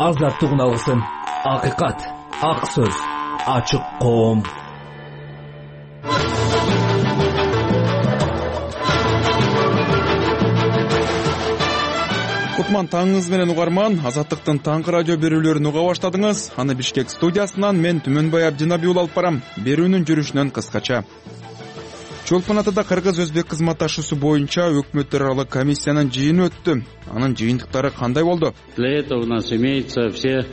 азаттык уналгысын. Акыйкат, ак сөз, ачык коом. Кутман таңыңыз менен угарман, Азаттыктын таңкы радио берүүлөрүн уга баштадыңыз. Аны Бишкек студиясынан мен Түмөнбай Абдинабий уулу алып барам. Берүүнүн жүрүшүнөн кыскача. Чолпон Атада кыргыз-өзбек кызматташуусу боюнча өкмөттөр аралык комиссиянын жыйыны өттү. Анын жыйынтыктары кандай болду? Для этого у нас имеются все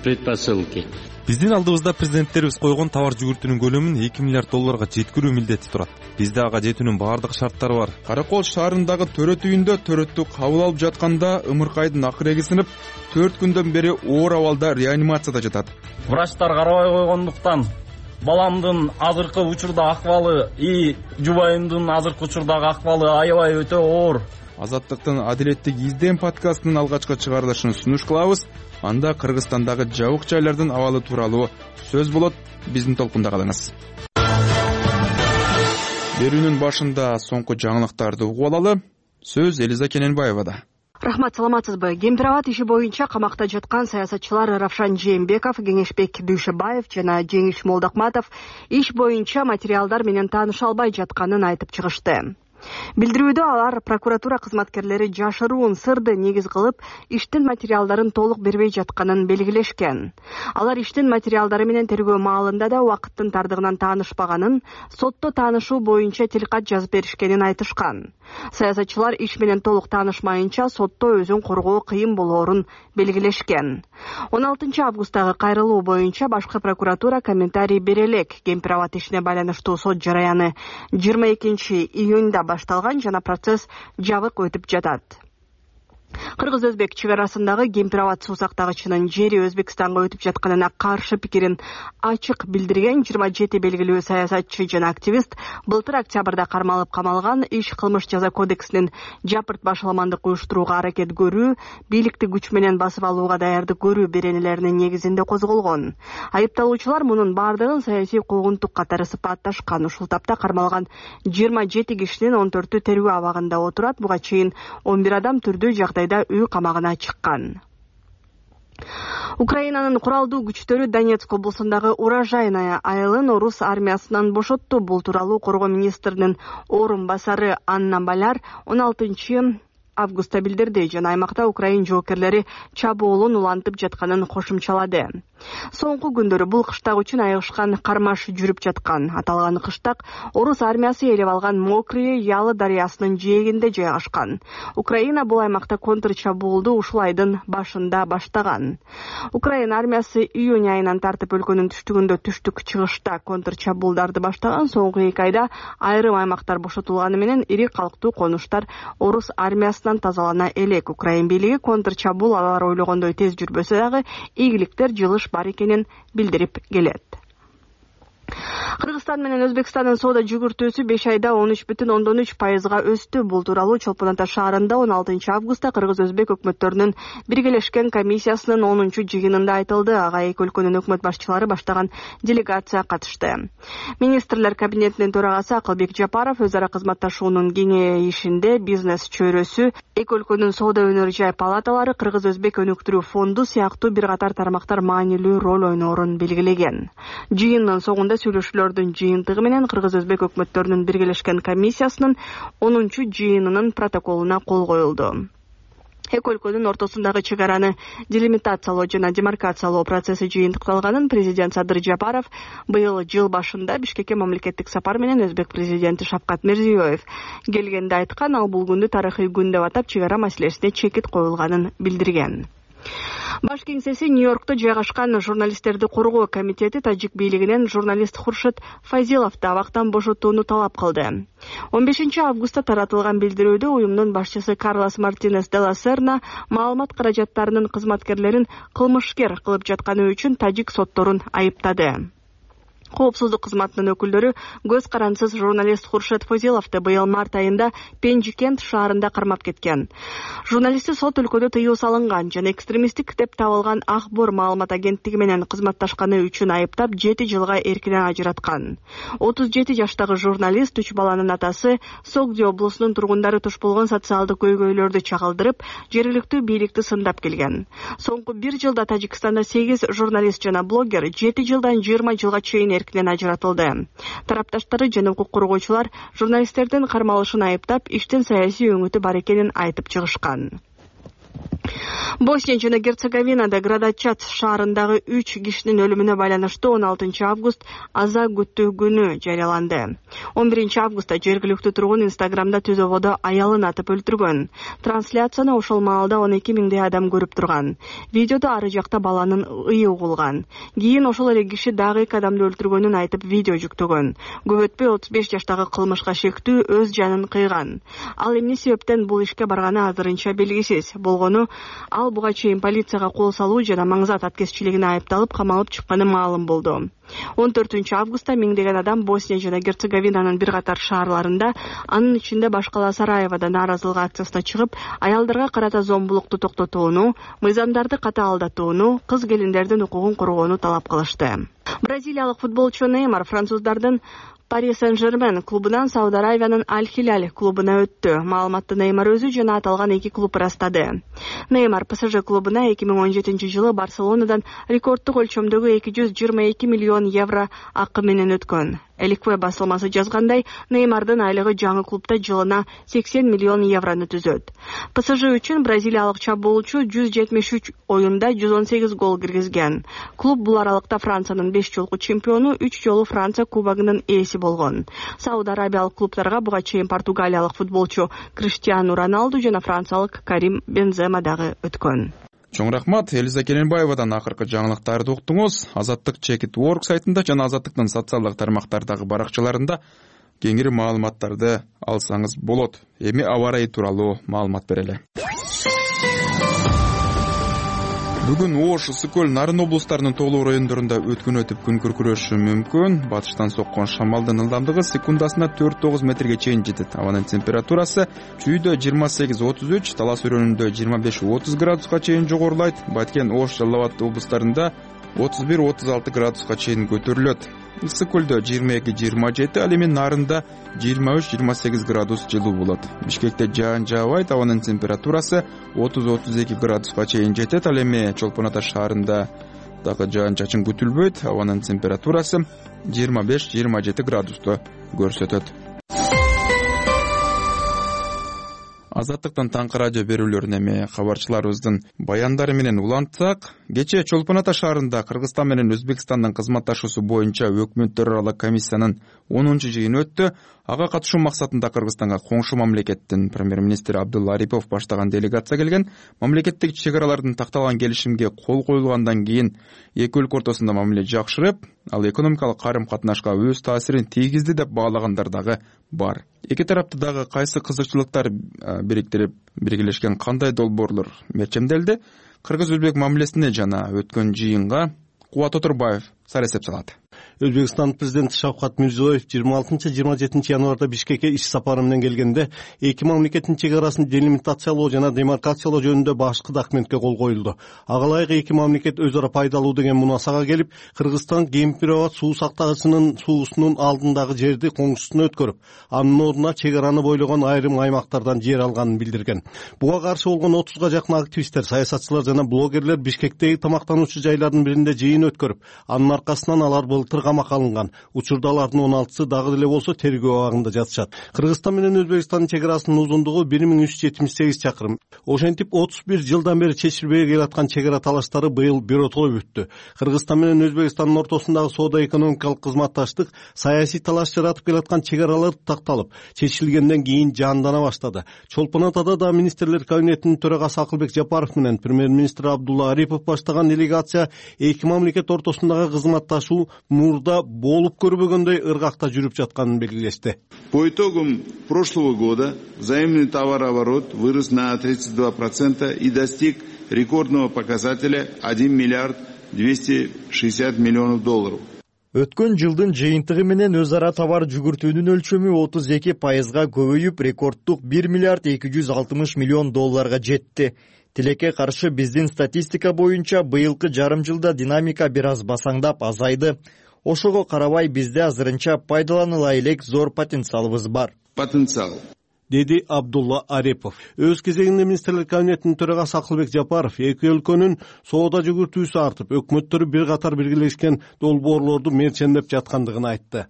предпосылки. Биздин алдыбызда президенттерибиз койгон товар жүгүртүүнүн көлөмүн 2 миллиард долларга жеткирүү милдети турат. Бизде ага жетүүнүн баардык шарттары бар. Каракол шаарындагы төрөт үйүндө төрөттү кабыл алып жатканда ымыркайдын акыреги сынып, 4 күндөн бери оор абалда реанимацияда жатат. Врачтар карабай койгондуктан баламдын азыркы учурда акыбалы и жубайымдын азыркы учурдагы акыбалы аябай өтө оор. Азаттыктын Адилеттик издем подкастынын алгачкы чыгарылышын сунуш кылабыз. Анда Кыргызстандагы жабык жайлардын абалы тууралуу сөз болот. Биздин толкунда калыңыз. Берүүнүн башында соңку жаңылыктарды угуп алалы. Сөз Элиза Кененбаевада. Рахмат, саламатсызбы? Кемпирабад иши боюнча камакта жаткан саясатчылар Равшан Жээнбеков, Кеңешбек Дүйшөбаев жана Жеңиш Молдокматов иш боюнча материалдар менен тааныша албай жатканын айтып чыгышты. Билдирүүдө алар прокуратура кызматкерлери жашыруун сырды негиз кылып, иштин материалдарын толук бербей жатканын белгилешкен. Алар иштин материалдары менен тергөө маалында да убакыттын тардыгынан таанышпаганын, сотто таанышуу боюнча тилкат жазып беришкенин айтышкан. Саясатчылар иш менен толук таанышмайынча сотто өзүн коргоо кыйын болоорун белгилешкен. 16 августтагы кайрылуу боюнча башкы прокуратура комментарий бере элек. Кемпирабад ишине байланыштуу сот жараяны 22 июнда башталган жана процесс жабык өтүп жатат. Кыргыз-өзбек чек арасындагы Кемпирабад суу сактагычынын жери Өзбекстанга өтүп жатканына каршы пикирин ачык билдирген 27 белгилүү саясатчы жана активист былтыр октябрда кармалып камалган. Иш кылмыш жаза кодексинин жапырт башаламандык уюштурууга аракет көрүү, бийликти күч менен басып алууга даярдык көрүү беренелеринин негизинде козголгон. Айыпталуучулар мунун бардыгын саясий куугунтук катары сыпатташкан. Ушул тапта кармалган 27 кишинин 14-ü тергөө абагында отурат. Буга чейин 11 адам түрдүү жагдайда үй камагына чыккан. Украинанын куралдуу күчтөрү Донецк облусундагы Урожайная айылын орус армиясынан бошотту. Бул тууралуу коргоо министринин орун басары Анна Баляр 16 августта билдирди жана аймакта Украин жоокерлери чабуулун улантып жатканын кошумчалады. Соңку күндөрү бул кыштак үчүн айыгышкан кармаш жүрүп жаткан. Аталган кыштак орус армиясы ээлеп алган Мокрые Ялы дарыясынын жээгинде жайгашкан. Украина бул аймакта контрчабуулду ушул айдын башында баштаган. Украина армиясы июнь айынан тартып өлкөнүн түштүгүндө түштүк-чыгышта контрчабуулдарды баштаган. Соңку 2 айда айрым аймактар бошотулганы менен ири калктуу конуштар орус армиясынан тазалана элек. Украин бийлиги контрчабуул алар ойлогондой тез жүрбөсө дагы ийгиликтер жылыш бар экенин билдирип келет. Кыргызстан менен Өзбекстандын соода жүгүртүүсү 5 айда 13,3%га өстү. Бул тууралуу Чолпон Ата шаарында 16 августта кыргыз-өзбек өкмөттөрүнүн биргелешкен комиссиясынын 10-чу жыйынында айтылды. Ага эки өлкөнүн өкмөт башчылары баштаган делегация катышты. Министрлер кабинетинин төрагасы Акылбек Жапаров өз ара кызматташуунун кеңейишинде бизнес чөйрөсү, эки өлкөнүн соода өнөр жай палаталары, кыргыз-өзбек өнүктүрүү фонду сыяктуу бир катар тармактар маанилүү роль ойноорун белгилеген. Жыйындын соңунда сүйлөшүүлөрдүн жыйынтыгы менен кыргыз-өзбек өкмөттөрүнүн биргелешкен комиссиясынын 10-чу жыйынынын протоколуна кол коюлду. Эки өлкөнүн ортосундагы чек араны делимитациялоо жана демаркациялоо процесси жыйынтыкталганын президент Садыр Жапаров быйыл жыл башында Бишкекке мамлекеттик сапар менен өзбек президенти Шавкат Мирзиёев келгенде айткан. Ал бул күндү тарыхый күн деп атап, чек ара маселесине чекит коюлганын билдирген. Баш кеңсеси Нью-Йоркто жайгашкан журналисттерди коргоо комитети тажик бийлигинен журналист Хуршит Фазиловду абактан бошотууну талап кылды. 15 августта таратылган билдирүүдө уюмдун башчысы Карлос Мартинес де ла Серна маалымат каражаттарынын кызматкерлерин кылмышкер кылып жатканы үчүн тажик сотторун айыптады. Коопсуздук кызматынын өкүлдөрү көз карансыз журналист Хуршет Фозиловду быйыл март айында Пенжикент шаарында кармап кеткен. Журналистти сот өлкөдө тыюу салынган жана экстремисттик деп табылган Акбор маалымат агенттиги менен кызматташканы үчүн айыптап 7 жылга эркинен ажыраткан. 37 жаштагы журналист 3 баланын атасы Согди облусунун тургундары туш болгон социалдык көйгөйлөрдү чагылдырып, жергиликтүү бийликти сындап келген. Соңку 1 жылда Тажикстанда 8 журналист жана блогер 7 жылдан 20 жылга чейин эркинен ажыратылды. Тарапташтары жана укук коргоочулар журналисттердин кармалышын айыптап, иштин саясий өңүтү бар экенин айтып чыгышкан. Босния жана Герцеговинада Градачат шаарындагы 3 кишинин өлүмүнө байланыштуу 16 август аза күтүү күнү жарыяланды. 11 августта жергиликтүү тургун Инстаграмда түзөбодо аялын атып өлтүргөн. Трансляцияны ошол маалда 12 миңдей адам көрүп турган. Видеодо ары жакта баланын ыйы угулган. Кийин ошол эле киши дагы 2 адамды өлтүргөнүн айтып видео жүктөгөн. Көп өтпөй 35 жаштагы кылмышка шектүү өз жанын кыйган. Ал эмне себептен бул ишке барганы азырынча белгисиз. Болгону ал буга чейин полицияга кол салуу жана маңзат аткезчилигине айыпталып камалып чыкканы маалым болду. 14 августта миңдеген адам Босния жана Герцеговинанын бир катар шаарларында, анын ичинде Башкала Сараевада нааразылык акциясына чыгып, аялдарга карата зомбулукту токтотууну, мыйзамдарды катаалдатууну, кыз келиндердин укугун коргоону талап кылышты. Бразилиялык футболчу Неймар француздардын Paris Saint-Germain клубунан Сауд Аравиянын Аль-Хилаль клубуна өттү. Маалыматты Неймар өзү жана аталган 2 клуб ырастады. Неймар ПСЖ клубуна 2017 жылы Барселонадан рекордтук өлчөмдөгү 222 миллион евро акы менен өткөн. Эликве басылмасы жазгандай, Неймардын айлыгы жаңы клубда жылына 80 миллион еврону түзөт. ПСЖ үчүн бразилиялык чабуулчу 173 оюнда 118 гол киргизген. Клуб бул аралыкта Франциянын 5 жолку чемпиону, 3 жолу Франция кубогунун ээси болгон. Сауд Арабиялык клубтарга буга чейин португалиялык футболчу Криштиану Роналду жана франциялык Карим Бензема дагы өткөн. Чоң рахмат. Элиза Керенбаевадан акыркы жаңылыктарды уктуңуз. Азаттык Check.org сайтында жана Азаттыктын социалдык тармактардагы баракчаларында кеңири маалыматтарды алсаңыз болот. Эми аба ырайы тууралуу маалымат берели. Бүгүн Ош, Ысык-Көл, Нарын облустарынын тоолуу райондорунда өткөн өтүп күн күркүрөшү мүмкүн. Батыштан соккон шамалдын ылдамдыгы секундасына 4-9 метрге чейин жетет. Абанын температурасы Чүйдө 28-33, Талас өрөөнүндө 25-30 градуска чейин жогорулайт. Баткен, Ош, Жалал Абад облустарында 31-36 градуска чейин көтөрүлөт. Ысык-Көлдө 22-27, ал эми Нарында 23-28 градус жылуу болот. Бишкекте жаан жаабайт, абанын температурасы 30-32 градуска чейин жетет. Ал эми Чолпон Ата шаарында дагы жаан чачын күтүлбөйт, абанын температурасы 25-27 градусту көрсөтөт. Азаттыктан таңкы радио берүүлөрүн эми кабарчыларыбыздын баяндары менен улантсак, кечээ Чолпон Ата шаарында Кыргызстан менен Өзбекстандын кызматташуусу боюнча өкмөттөр аралык комиссиянын 10-жыйыны өттү. Ага катышуу максатында Кыргызстанга коңшу мамлекеттин премьер-министри Абдулла Арипов баштаган делегация келген. Мамлекеттик чек аралардын такталган келишимге кол коюлгандан кийин эки өлкө ортосунда мамиле жакшырып, ал экономикалык карым-катнашка өз таасирин тийгизди деп баалагандар дагы бар. Эки тарапты дагы кайсы кызыкчылыктар бириктирип биргелешкен, кандай долбоорлор мерчемделди? Кыргыз-өзбек мамилесине жана өткөн жыйынга Кубат Отурбаев сар эсеп салат. Өзбекстан президенти Шавкат Мирзиёев 26-27 январда Бишкекке иш сапары менен келгенде эки мамлекеттин чек арасын делимитациялоо жана демаркациялоо жөнүндө башкы документке кол коюлду. Ага ылайык эки мамлекет өз ара пайдалуу деген мунасага келип, Кыргызстан Кемпир-Абад суу сактагычынын суусунун алдындагы жерди коңшусуна өткөрүп, анын ордуна чек араны бойлогон айрым аймактардан жер алганын билдирген. Буга каршы болгон 30га жакын активисттер, саясатчылар жана блогерлер Бишкектеги тамактануучу жайлардын биринде жыйын өткөрүп, анын аркасынан алар былтыр камакка алынган. Учурда алардын 16сы дагы деле болсо тергөө абагында жатышат. Кыргызстан менен Өзбекстандын чек арасынын узундугу 1378 чакырым. Ошентип 31 жылдан бери чечилбей келаткан чек ара талаштары быйыл биротоло бүттү. Кыргызстан менен Өзбекстандын ортосундагы соода-экономикалык кызматташтык, саясий талаш жаратып келаткан чек аралар такталып, чечилгенден кийин жандана баштады. Чолпон Атада да министрлер кабинетинин төрагасы Акылбек Жапаров менен премьер-министр Абдулла Арипов баштаган делегация эки мамлекет ортосундагы кызматташуу мурда болуп көрбөгөндөй ыргакта жүрүп жатканын белгилешти. По итогам прошлого года взаимный товарооборот вырос на 32% и достиг рекордного показателя $1 миллиард 260 миллионов. Өткөн жылдын жыйынтыгы менен өз ара товар жүгүртүүнүн өлчөмү 32%га көбөйүп, рекордтук 1 миллиард 260 миллион долларга жетти. Тилекке каршы биздин статистика боюнча быйылкы жарым жылда динамика бир аз басаңдап азайды. Ошого карабай бизде азырынча пайдаланыла элек зор потенциалыбыз бар. Деди Абдулла Арипов. Өз кезегинде министрлер кабинетинин төрагасы Акылбек Жапаров эки өлкөнүн соода жүгүртүүсү артып, өкмөттөрү бир катар биргелешкен долбоорлорду мерчендеп жаткандыгын айтты.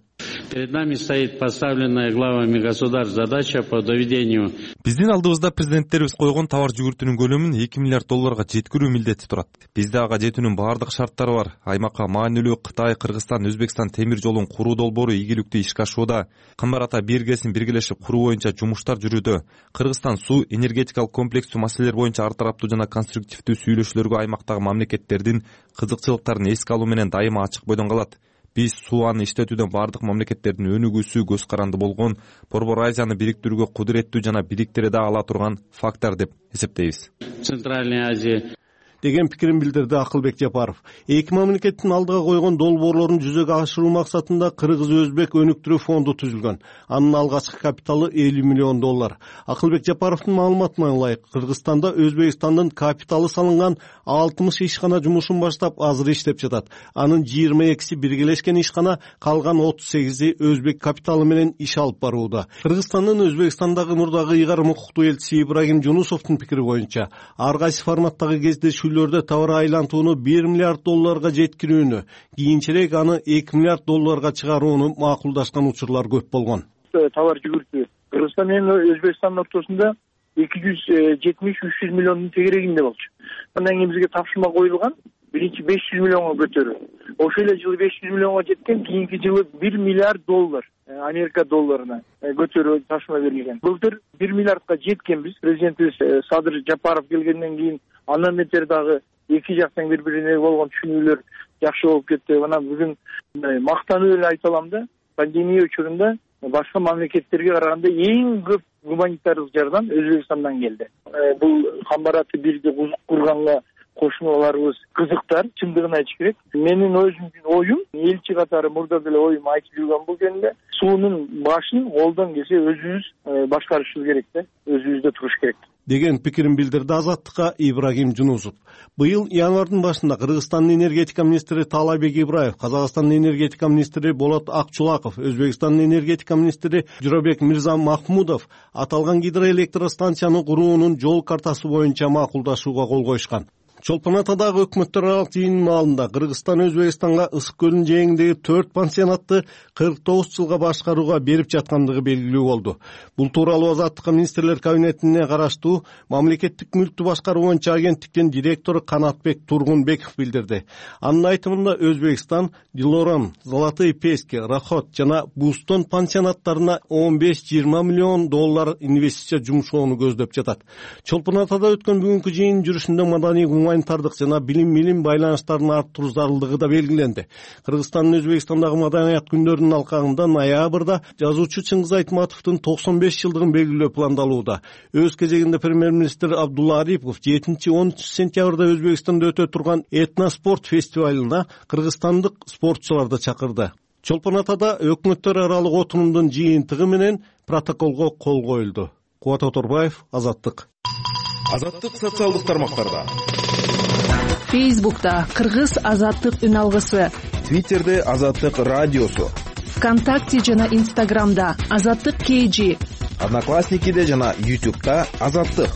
Перед нами стоит поставленная главами государств задача по доведению. Биздин алдыбызда президенттерибиз койгон товар жүгүртүүнүн көлөмүн 2 миллиард долларга жеткирүү милдети турат. Бизде ага жетүүнүн баардык шарттары бар. Аймакка маанилүү Кытай, Кыргызстан, Өзбекстан темир жолун куруу долбоору игиликтүү ишке ашууда. Кымбар Ата биргесин биргелешип куруу боюнча жумуштар жүрүүдө. Кыргызстан суу энергетикалык комплекстүү маселелер боюнча ар тараптуу жана конструктивдүү сүйлөшүүлөргө аймактагы мамлекеттердин кызыкчылыктарын эске алуу менен дайыма ачык бойдон калат. Биз суаны иштетүүдөн бардык мамлекеттердин өнүгүүсү көз каранды болгон, Борбор Азияны бириктирүүгө кудуреттүү жана бириктире да ала турган фактор деп эсептейбиз. Центральная Азия деген пикирин билдирди Акылбек Жапаров. Эки мамлекеттин алдыга койгон долбоорлорун жүзөгө ашыруу максатында Кыргыз-Өзбек өнүктүрүү фонду түзүлгөн. Анын алгачкы капиталы 50 миллион доллар. Акылбек Жапаровдун маалыматына ылайык, Кыргызстанда Өзбекстандын капиталы салынган 60 ишкана жумушун баштап азыр иштеп жатат. Анын 22си биргелешкен ишкана, калган 38и өзбек капиталы менен иш алып барууда. Кыргызстандын Өзбекстандагы мурдагы ыйгарым укуктуу элчиси Ибрагим Жунусовдун пикири боюнча, ар кайсы форматтагы кездешүү товар айлантууну 1 миллиард долларга жеткирүүнү, кийинчерээк аны 2 миллиард долларга чыгарууну макулдашкан учурлар көп болгон. Товар жүгүртүү Кыргызстан менен Өзбекстандын ортосунда 270-300 миллиондун тегерегинде болчу. Андан кийин бизге тапшырма коюлган, биринчи 500 миллионго көтөрүү. Ошол эле жылы 500 миллионго жеткен, кийинки жылы 1 миллиард доллар Америка долларына көтөрүү тапшырма берилген. Былтыр 1 миллиардка жеткенбиз. Президентибиз Садыр Жапаров келгенден кийин андан бетер дагы эки жактан бири-бирине болгон түшүнүүлөр жакшы болуп кетти. Мына бүгүн мактанып эле айта алам да, пандемия учурунда башка мамлекеттерге караганда эң көп гуманитардык жардам Өзбекстандан келди. Бул Кымбар Ата бирди курганга кошуналарыбыз кызыктар, чындыгын айтыш керек. Менин өзүмдүн оюм, элчи катары мурда деле оюм айтып жүргөн бул жөнүндө, суунун башын колдон келсе өзүбүз башкарышыбыз керек да, өзүбүздө туруш керек деген пикирин билдирди Азаттыкка Ибрагим Жунусов. Быйыл январдын башында Кыргызстандын энергетика министри Таалайбек Ибраев, Казакстандын энергетика министри Болот Акчулаков, Өзбекстандын энергетика министри Журабек Мирза Махмудов аталган гидроэлектростанцияны куруунун жол картасы боюнча макулдашууга кол коюшкан. Чолпон Атадагы өкмөттөр аралык жыйынын маалында Кыргызстан Өзбекстанга Ысык көлүнүн жээгиндеги 4 пансионатты 49 жылга башкарууга берип жаткандыгы белгилүү болду. Бул тууралуу Азаттыкка министрлер кабинетине караштуу мамлекеттик мүлктү башкаруу боюнча агенттиктин директору Канатбек Тургунбеков билдирди. Анын айтымында Өзбекстан Дилоран, Золотые Пески, Рахот жана Бустон пансионаттарына 15-20 миллион доллар инвестиция жумшоону көздөп жатат. Чолпон Атада өткөн бүгүнкү жыйын жүрүшүндө маданий гуманитардык жана билим байланыштарын арттыруу зарылдыгы да белгиленди. Кыргызстандын Өзбекстандагы маданият күндөрүнүн алкагында ноябрда жазуучу Чыңгыз Айтматовдун 95 жылдыгын белгилөө пландалууда. Өз кезегинде премьер-министр Абдулла Арипов 7-13 сентябрда Өзбекстанда өтө турган этноспорт фестивалына кыргызстандык спортчуларды чакырды. Чолпон Атада өкмөттөр аралык отурумдун жыйынтыгы менен протоколго кол коюлду. Кубат Оторбаев, Азаттык. Азаттык социалдык тармактарда. Фейсбукта Кыргыз Азаттык үн алгысы, Твиттерде Азаттык радиосу, ВКонтакте жана Инстаграмда Азаттык KG, Одноклассникиде жана YouTube'да Азаттык.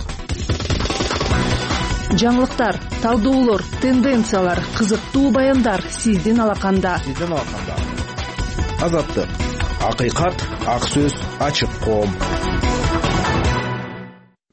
Жаңылыктар, талдоолор, тенденциялар, кызыктуу баяндар сиздин алаканда. Азаттык. Акыйкат, ак сөз, ачык коом.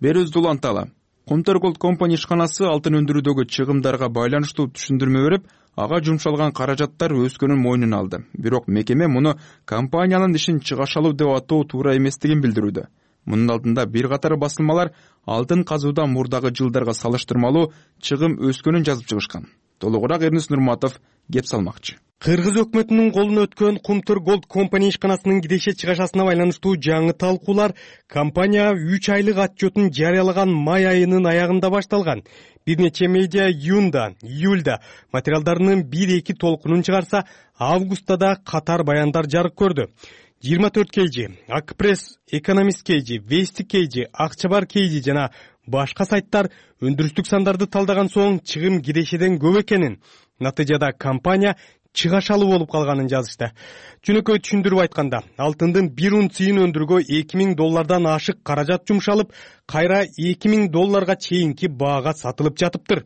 Берүүбүздү уланталы. Comter Gold Company ишканасы алтын өндүрүүдөгү чыгымдарга байланыштуу түшүндүрмө берип, ага жумшалган каражаттар өскөнүн мойнуна алды. Бирок мекеме муну компаниянын ишин чыгашалуу деп атоо туура эместигин билдирүүдө. Мунун алдында бир катар басылмалар алтын казуудан мурдагы жылдарга салыштырмалуу чыгым өскөнүн жазып чыгышкан. толугураак Эрнис Нурматов кеп салмакчы. Кыргыз өкмөтүнүн колуна өткөн Кумтур Gold Company ишканасынын киреше чыгашасына байланыштуу жаңы талкуулар компания 3 айлык отчетун жарыялаган май айынын аягында башталган. Бир нече медиа июнда, июльда материалдарынын 1-2 толкунун чыгарса, августта да катар баяндар жарык көрдү. 24 KG, Акпресс, Экономист KG, Вести KG, Акчабар KG жана башка сайттар өндүрүштүк сандарды талдаган соң чыгым кирешеден көп экенин, натыйжада компания чыгашалуу болуп калганын жазышты. Жөнөкөй түшүндүрүп айтканда, алтындын 1 унцийин өндүрүүгө $2000 ашык каражат жумшалып, кайра $2000 чейинки баага сатылып жатыптыр.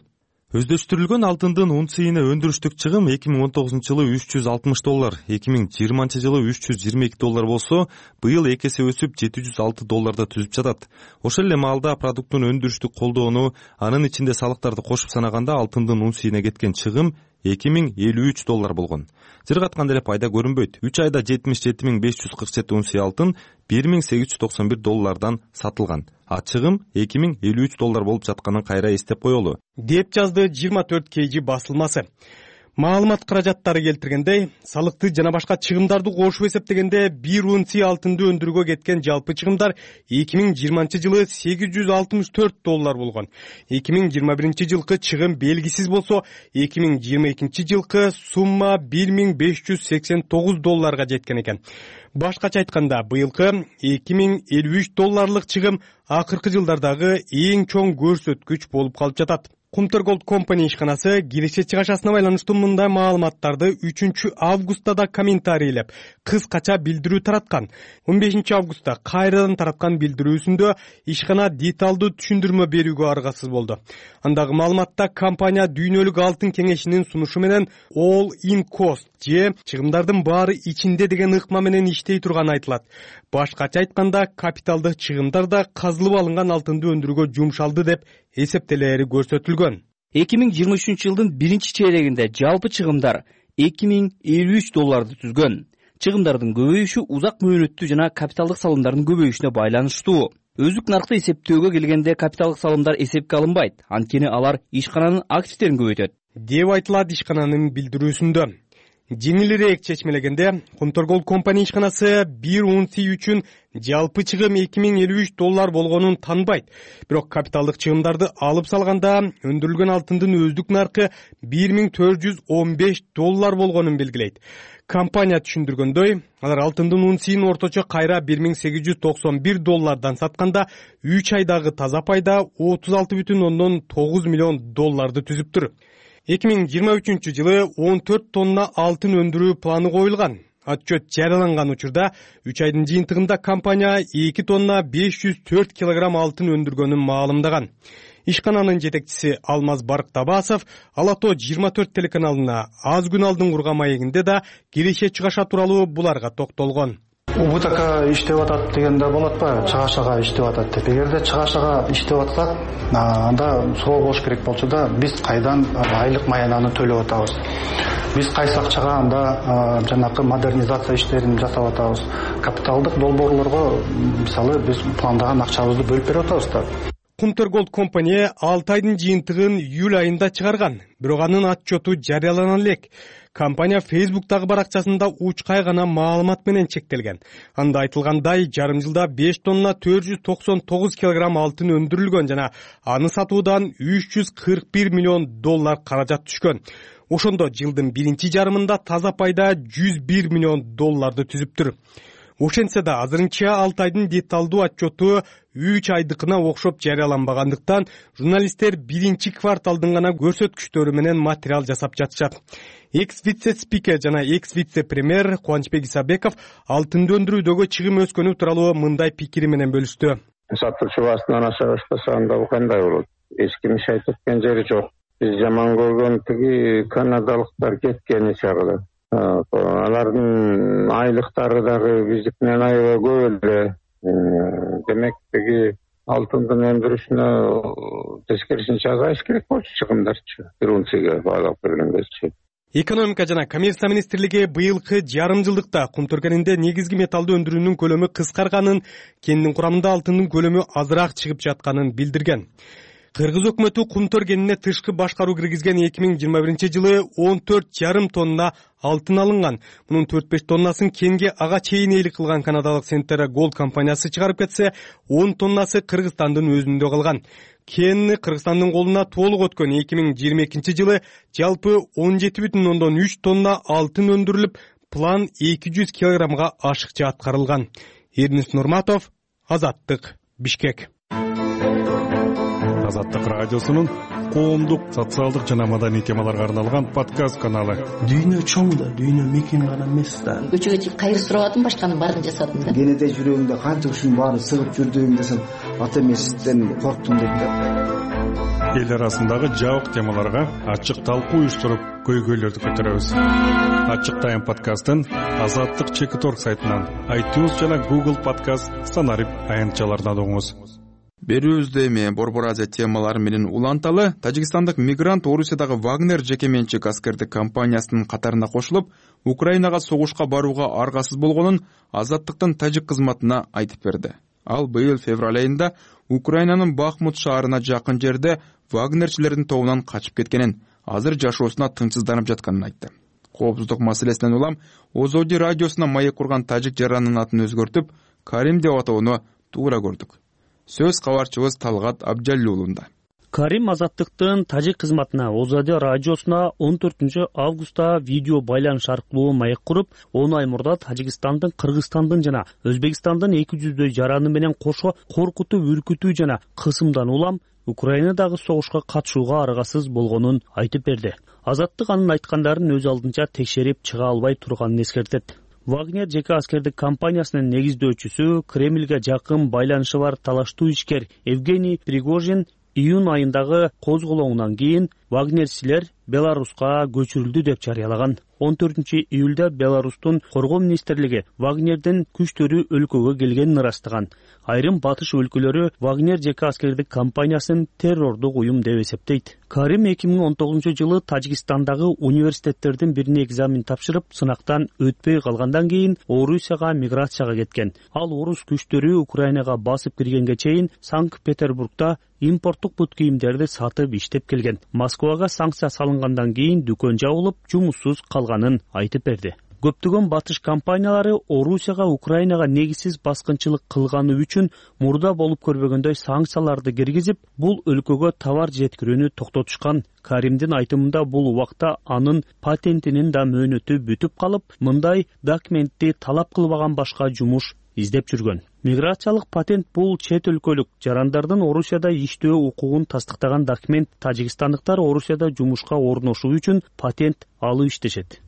Өздөштүрүлгөн алтындын унцийине өндүрүштүк чыгым 2019 жылы $360, 2020 жылы $322 болсо, быйыл 2 эсе өсүп $706 түзүп жатат. Ошол эле маалда продукттун өндүрүштүк колдоону, анын ичинде салыктарды кошуп санаганда алтындын унцийине кеткен чыгым $2053 болгон. Жыргатканда эле пайда көрүнбөйт. 3 айда 77.547 унция алтын $1891 сатылган. А чыгым $2053 болуп жатканын кайра эстеп коелу, деп жазды 24 KG басылмасы. Маалымат каражаттары келтиргендей, салыкты жана башка чыгымдарды кошуп эсептегенде 1 унция алтынды өндүрүүгө кеткен жалпы чыгымдар 2020 жылы $864 болгон. 2021 жылкы чыгым белгисиз болсо, 2022 жылкы сумма $1589 жеткен экен. Башкача айтканда, быйылкы $2053 чыгым акыркы жылдардагы эң чоң көрсөткүч болуп калып жатат. Кумтур Gold Company ишканасы киреше чыгашасына байланыштуу мындай маалыматтарды 3 августта да комментарийлеп, кыскача билдирүү тараткан. 15 августта кайрадан тараткан билдирүүсүндө ишкана деталдуу түшүндүрмө берүүгө аргасыз болду. Андагы маалыматта компания дүйнөлүк алтын кеңешинин сунушу менен all in cost же чыгымдардын баары ичинде деген ыкма менен иштей турганы айтылат. Башкача айтканда, капиталдык чыгымдар да казылып алынган алтынды өндүрүүгө жумшалды деп эсептелери көрсөтүлгөн. 2023 жылдын биринчи чейрегинде жалпы чыгымдар $2053 түзгөн. Чыгымдардын көбөйүшү узак мөөнөттүү жана капиталдык салымдардын көбөйүшүнө байланыштуу. Өзүк наркты эсептөөгө келгенде капиталдык салымдар эсепке алынбайт, анткени алар ишкананын активдерин көбөйтөт, деп айтылат ишкананын билдирүүсүндө. Жеңилирээк чечмелегенде, Кумтур Gold Company ишканасы 1 унция үчүн жалпы чыгым $2053 болгонун танбайт. Бирок капиталдык чыгымдарды алып салганда, өндүрүлгөн алтындын өздүк наркы $1415 болгонун белгилейт. Компания түшүндүргөндөй, алар алтындын унцийин орточо кайра $1891 сатканда 3 айдагы таза пайда $36,9 миллион түзүптүр. 2023 жылы 14 тонна алтын өндүрүү планы коюлган. Отчет жарыяланган учурда 3 айдын жыйынтыгында компания 2 тонна 504 килограмм алтын өндүргөнүн маалымдаган. Ишкананын жетекчиси Алмаз Барктабасов Ала Тоо 24 телеканалына аз күн алдын курган маегинде да киреше чыгаша тууралуу буларга токтолгон. УБТК иштеп атат дегенде болот ба, чыгашага иштеп атат деп. Эгерде чыгашага иштеп атсак, анда суроо болуш керек болчу да, биз кайдан айлык маянаны төлөп атабыз? Биз кайсы акчага анда жанакы модернизация иштерин жасап атабыз? Капиталдык долбоорлорго мисалы биз пландаган акчабызды бөлүп берип атабыз да. Кумтур Gold Company 6 айдын жыйынтыгын июль айында чыгарган, бирок анын отчету жарыялана элек. Компания Facebook'тагы баракчасында учкай гана маалымат менен чектелген. Анда айтылгандай, жарым жылда 5 тонна 499 килограмм алтын өндүрүлгөн жана аны сатуудан $341 миллион каражат түшкөн. Ошондо жылдын биринчи жарымында таза пайда $101 миллион түзүптүр. Ошентсе да азырынча 6 айдын деталдуу отчету 3 айдыкына окшоп жарыяланбагандыктан, журналисттер биринчи кварталдын гана көрсөткүчтөрү менен материал жасап жатышат. Экс-вице-спикер жана экс-вице-премьер Кубанычбек Исабеков алтынды өндүрүүдөгү чыгым өскөнү тууралуу мындай пикири менен бөлүштү. Сатуучу баасынан аша баштаса анда кандай болот? Эч ким иш айтып кеткен жери жок. Биз жаман көргөн тиги канадалыктар кеткени чагы. Алардын айлыктары дагы биздикинен аябай көп эле. Демек тиги алтындын өндүрүшүнө тескерисинче азайыш керек болчу чыгымдарчы. Бир унцияга баалап бергендечи. Экономика жана коммерция министрлиги быйылкы жарым жылдыкта Кумтур кенинде негизги металлды өндүрүүнүн көлөмү кыскарганын, кендин курамында алтындын көлөмү азыраак чыгып жатканын билдирген. Кыргыз өкмөтү кумтөр кенине тышкы башкаруу киргизген 2021-жылы 14,5 тонна алтын алынган. Мунун 4-5 тоннасын кенге ага чейин ээлик кылган канадалык Centerra Gold компаниясы чыгарып кетсе, 10 тоннасы Кыргызстандын өзүндө калган. Кен Кыргызстандын колуна толук өткөн 2022-жылы жалпы 17,3 тонна алтын өндүрүлүп, план 200 килограммга ашыкча аткарылган. Эрнис Нурматов, Азаттык, Бишкек. Азаттык радиосунун коомдук, социалдык жана маданий темаларга арналган подкаст каналы. Дүйнө чоң да, дүйнө мекен гана эмес да. Көчөгө чыгып кайыр сурабадым, башканын баарын жасадым да. Кенеде жүрөгүңдө канча ушунун баары сыгып жүрдүң десем, ата эмесизден корктум деп да. Эл арасындагы жабык темаларга ачык талкуу уюштуруп, көйгөйлөрдү көтөрөбүз. Ачык тайм подкастын Азаттык Чекиторг сайтынан, iTunes жана Google Podcast санарип аянтчаларынан угуңуз. Берүүбүздө эми Борбор Азия темалары менен уланталы. Тажикстандык мигрант Орусиядагы Вагнер жеке менчик аскердик компаниясынын катарына кошулуп, Украинага согушка барууга аргасыз болгонун Азаттыктын тажик кызматына айтып берди. Ал быйыл февраль айында Украинанын Бахмут шаарына жакын жерде Вагнерчилердин тобунан качып кеткенин, азыр жашоосуна тынчсызданып жатканын айтты. Коопсуздук маселесинен улам Озоди радиосуна маек курган тажик жаранынын атын өзгөртүп, Карим деп атоону туура көрдүк. Сөз кабарчыбыз Талгат Абжалли уулунда. Карим Азаттыктын тажик кызматына Озоди радиосуна 14 августта видео байланыш аркылуу маек куруп, 10 ай мурда Тажикстандын, Кыргызстандын жана Өзбекстандын 200 жараны менен кошо коркутуу, үркүтүү жана кысымдан улам Украинадагы согушка катышууга аргасыз болгонун айтып берди. Азаттык анын айткандарын өз алдынча текшерип чыга албай турганын эскертет. Вагнер жеке аскердик компаниясынын негиздөөчүсү, Кремльге жакын байланышы бар талаштуу ишкер Евгений Пригожин июнь айындагы козголоңунан кийин вагнерчилер Беларуска көчүрүлдү деп жарыялаган. 14 июлда Беларустун коргоо министрлиги Вагнердин күчтөрү өлкөгө келгенин ырастаган. Айрым батыш өлкөлөрү Вагнер жеке аскердик компаниясын террордук уюм деп эсептейт. Карим 2019-жылы Тажикстандагы университеттердин бирине экзамен тапшырып, сынактан өтпөй калгандан кийин Орусияга миграцияга кеткен. Ал орус күчтөрү Украинага басып киргенге чейин Санкт-Петербургда импорттук бут кийимдерди сатып иштеп келген. Москвага санкция салынгандан кийин дүкөн жабылып, жумуссуз калганын айтып берди. Көптөгөн батыш компаниялары Орусияга Украинага негизсиз баскынчылык кылганы үчүн мурда болуп көрбөгөндөй санкцияларды киргизип, бул өлкөгө товар жеткирүүнү токтотушкан. Каримдин айтымында бул убакта анын патентинин да мөөнөтү бүтүп калып, мындай документти талап кылбаган башка жумуш издеп жүргөн. Миграциялык патент бул чет өлкөлүк жарандардын Орусияда иштөө укугун тастыктаган документ. Тажикстандыктар Орусияда жумушка орношуу үчүн патент алып иштешет.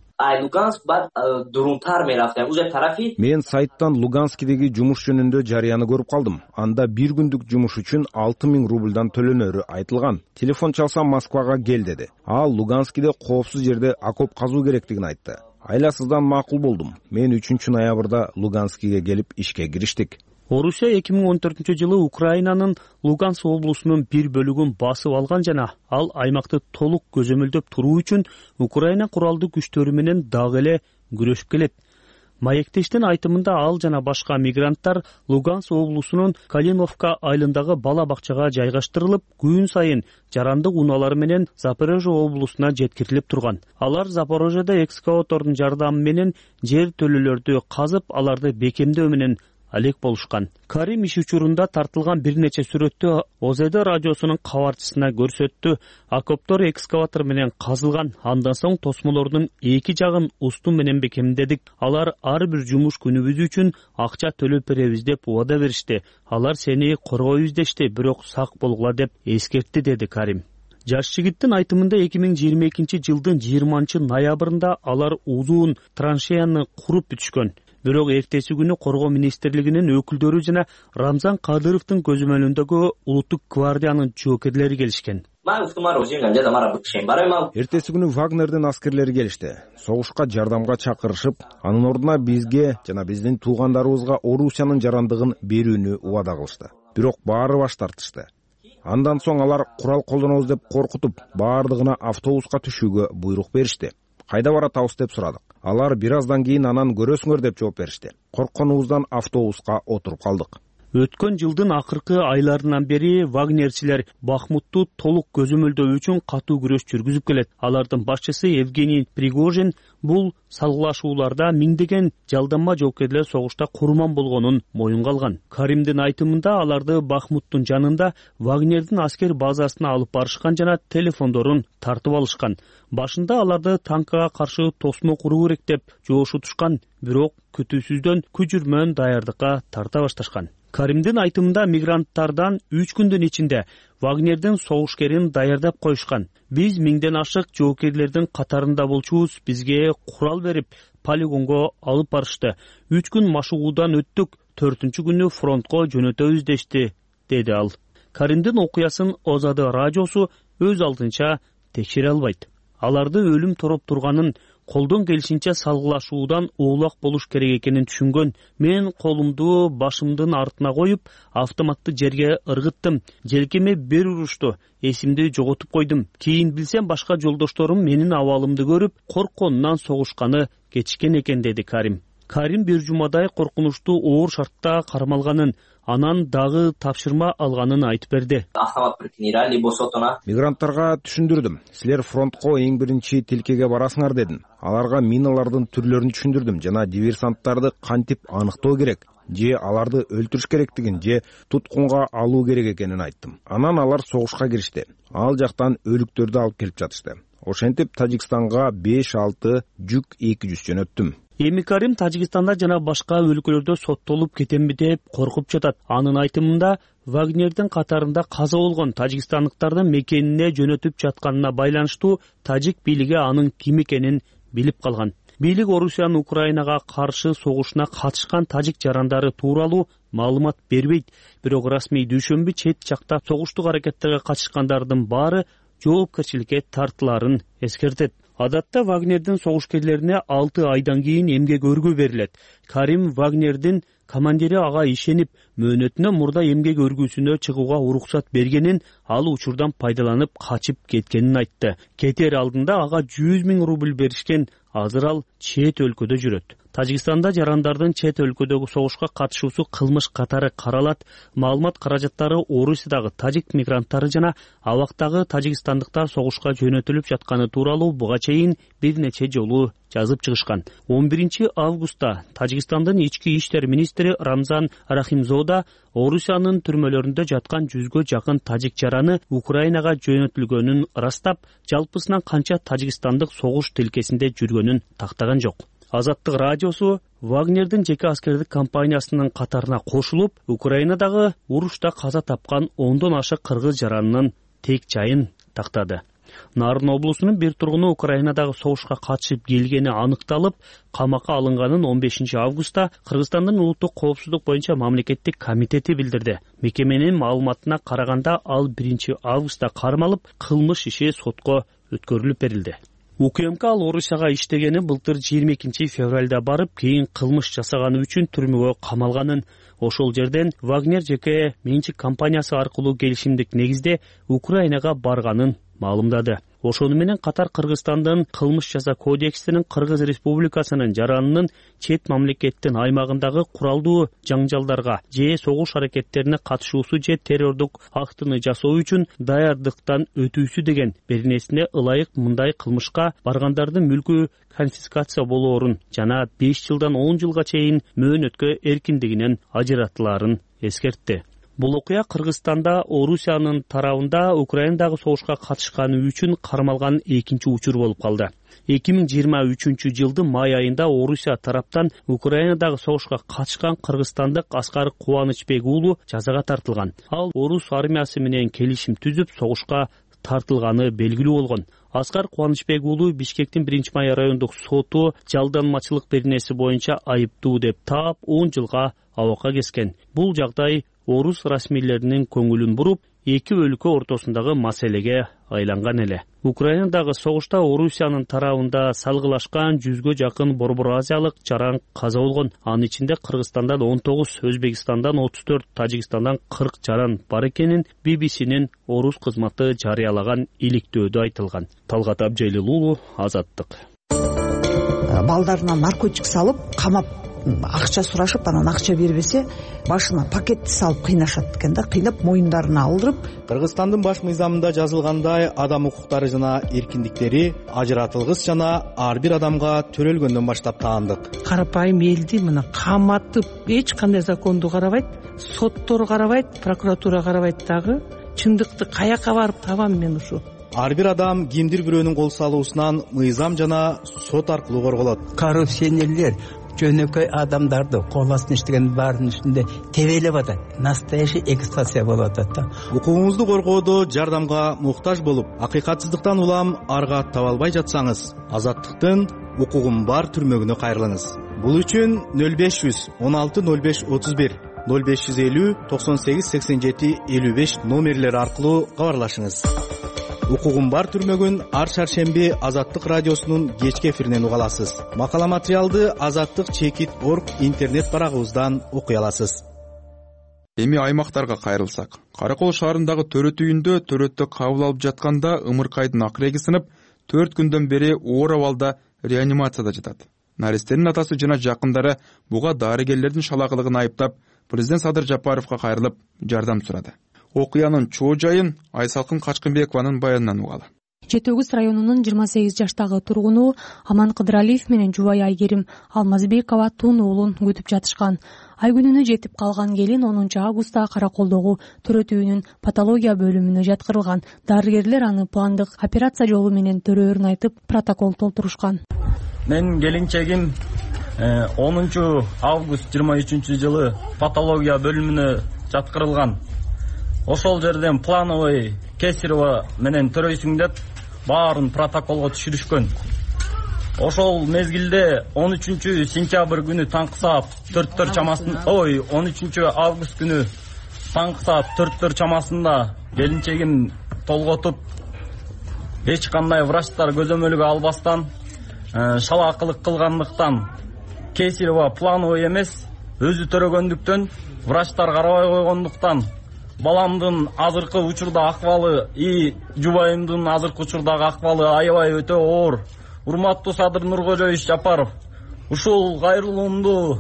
Мен сайттан Луганскидеги жумуш жөнүндө жарыяны көрүп калдым. Анда бир күндүк жумуш үчүн 6000 рубльдан төлөнөрү айтылган. Телефон чалсам Москвага кел деди. Ал Луганскиде коопсуз жерде окоп казуу керектигин айтты. Айласыздан макул болдум. Мен 3 ноябрда Луганскиге келип ишке кириштик. Орусия 2014-жылы Украинанын Луганск облусунун бир бөлүгүн басып алган жана ал аймакты толук көзөмөлдөп туруу үчүн Украина куралдуу күчтөрү менен дагы эле күрөшүп келет. Маектештин айтымында ал жана башка мигранттар Луганск облусунун Калиновка айылындагы бала бакчага жайгаштырылып, күн сайын жарандык унаалары менен Запорожье облусуна жеткирилип турган. Алар Запорожьеда экскаватордун жардамы менен жер төлөлөрдү казып, аларды бекемдөө менен алек болушкан. Карим иш учурунда тартылган бир нече сүрөттү Озоди радиосунун кабарчысына көрсөттү. Окоптор экскаватор менен казылган. Андан соң тосмолордун эки жагын устун менен бекемдедик. Алар ар бир жумуш күнүбүз үчүн акча төлөп беребиз деп убада беришти. Алар сени коргойбуз дешти, бирок сак болгула деп эскертти, деди Карим. Жаш жигиттин айтымында 2022-жылдын 20 ноябрында алар узун траншеяны куруп бүтүшкөн. Бирок эртеси күнү коргоо министрлигинин өкүлдөрү жана Рамзан Кадыровдун көзөмөлүндөгү улуттук гвардиянын жоокерлери келишкен. Эртеси күнү Вагнердин аскерлери келишти. Согушка жардамга чакырышып, анын ордуна бизге жана биздин туугандарыбызга Орусиянын жарандыгын берүүнү убада кылышты. Бирок баары баш тартышты. Андан соң алар курал колдонобуз деп коркутуп, баардыгына автобуска түшүүгө буйрук беришти. Кайда баратабыз деп сурадык. Алар бир аздан кийин анан көрөсүңөр деп жооп беришти. Коркконубуздан автобуска отуруп калдык. Өткөн жылдын акыркы айларынан бери вагнерчилер Бахмутту толук көзөмөлдөө үчүн катуу күрөш жүргүзүп келет. Алардын башчысы Евгений Пригожин бул салгылашууларда миңдеген жалданма жоокерлер согушта курман болгонун моюнга алган. Каримдин айтымында аларды Бахмуттун жанында Вагнердин аскер базасына алып барышкан жана телефондорун тартып алышкан. Башында аларды танкага каршы тосмо куруу керек деп жоошутушкан, бирок күтүүсүздөн күжүрмөн даярдыкка тарта башташкан. Каримдин айтымында мигранттардан 3 күндүн ичинде Вагнердин согушкерин даярдап коюшкан. Биз 1000ден ашык жоокерлердин катарында болчубуз, бизге курал берип полигонго алып барышты. 3 күн машыгуудан өттүк, 4-күнү күнү фронтко жөнөтөбүз дешти, деди ал. Каримдин окуясын Озады радиосу өз алдынча текшере албайт. Аларды өлүм тороп турганын, колдон келишинче салгылашуудан оолак болуш керек экенин түшүнгөн. Мен колумду башымдын артына коюп, автоматты жерге ыргыттым. Желкеме бир урушту. Эсимди жоготуп койдум. Кийин билсем башка жолдошторум менин абалымды көрүп, коркконунан согушканы кетишкен экен, деди Карим. Карим бир жумадай коркунучтуу оор шартта кармалганын, анан дагы тапшырма алганын айтып берди. Мигранттарга түшүндүрдүм. Силер фронтко эң биринчи тилкеге барасыңар дедим. Аларга миналардын түрлөрүн түшүндүрдүм жана диверсанттарды кантип аныктоо керек, же аларды өлтүрүш керектигин, же туткунга алуу керек экенин айттым. Анан алар согушка киришти. Ал жактан өлүктөрдү алып келип жатышты. Ошентип Тажикстанга 5-6 жүк 200 жөнөттүм. Эми Карим Тажикстанда жана башка өлкөлөрдө соттолуп кетемби деп коркуп жатат. Анын айтымында Вагнердин катарында каза болгон тажикстандыктардын мекенине жөнөтүп жатканына байланыштуу тажик бийлиги анын ким экенин билип калган. Бийлик Орусиянын Украинага каршы согушуна катышкан тажик жарандары тууралуу маалымат бербейт. Бирок расмий дүйшөмбү чет жакта согуштук аракеттерге катышкандардын баары жоопкерчиликке тартыларын эскертет. Адатта Вагнердин согушкерлерине 6 айдан кийин эмгек өргүү берилет. Карим Вагнердин командири ага ишенип, мөөнөтүнөн мурда эмгек өргүүсүнө чыгууга уруксат бергенин, ал учурдан пайдаланып качып кеткенин айтты. Кетер алдында ага 100 000 рубль беришкен. Азыр ал чет өлкөдө жүрөт. Тажикстанда жарандардын чет өлкөдөгү согушка катышуусу кылмыш катары каралат. Маалымат каражаттары Орусиядагы тажик мигранттары жана абактагы тажикстандыктар согушка жөнөтүлүп жатканы тууралуу буга чейин бир нече жолу жазып чыгышкан. 11 августта Тажикстандын ички иштер министри Рамзан Рахимзода Орусиянын түрмөлөрүндө жаткан 100гө жакын тажик жараны Украинага жөнөтүлгөнүн ырастап, жалпысынан канча тажикстандык согуш тилкесинде жүргөнүн тактаган жок. Азаттык радиосу Вагнердин жеке аскердик компаниясынын катарына кошулуп, Украинадагы урушта каза тапкан 10дон ашык кыргыз жаранынын тек жайын тактады. Нарын облусунун бир тургуну Украинадагы согушка катышып келгени аныкталып, камакка алынганын 15 августта Кыргызстандын улуттук коопсуздук боюнча мамлекеттик комитети билдирди. Мекеменин маалыматына караганда ал 1 августта кармалып, кылмыш иши сотко өткөрүлүп берилди. УКМК ал Орусияга иштегени былтыр 22 февралда барып, кийин кылмыш жасаганы үчүн түрмөгө камалганын, ошол жерден Вагнер жеке менчик компаниясы аркылуу келишимдик негизде Украинага барганын маалымдады. Ошону менен катар Кыргызстандын кылмыш жаза кодексинин Кыргыз Республикасынын жаранынын чет мамлекеттин аймагындагы куралдуу жаңжалдарга же согуш аракеттерине катышуусу же террордук актыны жасоо үчүн даярдыктан өтүүсү деген бир нерсене ылайык мындай кылмышка баргандардын мүлкү конфискация болоорун жана 5 жылдан 10 жылга чейин мөөнөткө эркиндигинен ажыратылаарын эскертти. Бул окуя Кыргызстанда Орусиянын тарабында Украинадагы согушка катышканы үчүн кармалган экинчи учур болуп калды. 2023 жылдын май айында Орусия тараптан Украинадагы согушка катышкан кыргызстандык Аскар Кубанычбек уулу жазага тартылган. Ал орус армиясы менен келишим түзүп согушка тартылганы белгилүү болгон. Аскар Кубанычбек уулу Бишкектин 1-май райондук соту жалданмачылык беренеси боюнча айыптуу деп таап 10 жылга абакка кескен. Бул жагдай орус расмийлеринин көңүлүн буруп, эки өлкө ортосундагы маселеге айланган эле. Украинадагы согушта Орусиянын тарабында салгылашкан 100гө жакын Борбор Азиялык жаран каза болгон. Анын ичинде Кыргызстандан 19, Өзбекстандан 34, Тажикстандан 40 жаран бар экенин BBC'нин орус кызматы жарыялаган иликтөөдө айтылган. Талгат Абжайлыл уулу, Азаттык. Балдарына наркотик салып, камап акча сурашып анан акча бербесе башына пакетти салып кыйнашат экен да, кыйнап моюндарына алдырып. Кыргызстандын баш мыйзамында жазылгандай адам укуктары жана эркиндиктери ажыратылгыс жана ар бир адамга төрөлгөндөн баштап таандык. Карапайым элди мына каматып эч кандай законду карабайт, соттор карабайт, прокуратура карабайт дагы. Чындыкты каяка барып табам мен ушу? Ар бир адам кимдир бирөөнүн кол салуусунан мыйзам жана сот аркылуу корголот. Коррупционерлер жөнөкөй адамдарды кол астына иштеген баарынын үстүндө тебелеп атат. Настоящий эксплуатация болуп атат да. Укугуңузду коргоодо жардамга муктаж болуп, акыйкатсыздыктан улам арга таба албай жатсаңыз, Азаттыктын укугум бар түрмөгүнө кайрылыңыз. Бул үчүн 0500 16 05 31 0550 98 87 55 номерлери аркылуу кабарлашыңыз. Укугум бар түрмөгүн ар шаршемби Азаттык радиосунун кечки эфиринен уга аласыз. Макала материалды azattik.org интернет барагыбыздан окуй аласыз. Эми аймактарга кайрылсак, Каракол шаарындагы төрөт үйүндө төрөттө кабыл алып жатканда ымыркайдын акыреги сынып, 4 күндөн бери оор абалда реанимацияда жатат. Наристенин атасы жана жакындары буга дарыгерлердин шалаагылыгын айыптап, президент Садыр Жапаровго кайрылып жардам сурады. Окуянын чоо жайын Айсалкын Качкынбекованын баянынан угалы. Жети Өгүз районунун 28 жаштагы тургуну Аман Кыдыралиев менен жубайы Айгерим Алмазбекова тун уулун күтүп жатышкан. Ай күнүнө жетип калган келин 10 августта Караколдогу төрөт үйүнүн патология бөлүмүнө жаткырылган. Дарыгерлер аны пландык операция жолу менен төрөөрүн айтып, протокол толтурушкан. Мен келинчегим 10 август 23-жылы патология бөлүмүнө жаткырылган. Ошол жерден плановый кесарево менен төрөйсүң деп баарын протоколго түшүрүшкөн. Ошол мезгилде 13 сентябрь күнү таңкы саат 4 чамасында, 13 август күнү таңкы саат 4 чамасында келинчегим толготуп, эч кандай врачтар көзөмөлгө албастан, шалаакылык кылгандыктан, кесарево плановый эмес, өзү төрөгөндүктөн, врачтар карабай койгондуктан, баламдын азыркы учурда акыбалы, жубайымдын азыркы учурдагы акыбалы аябай өтө оор. Урматтуу Садыр Нуркожоевич Жапаров, ушул кайрылуумду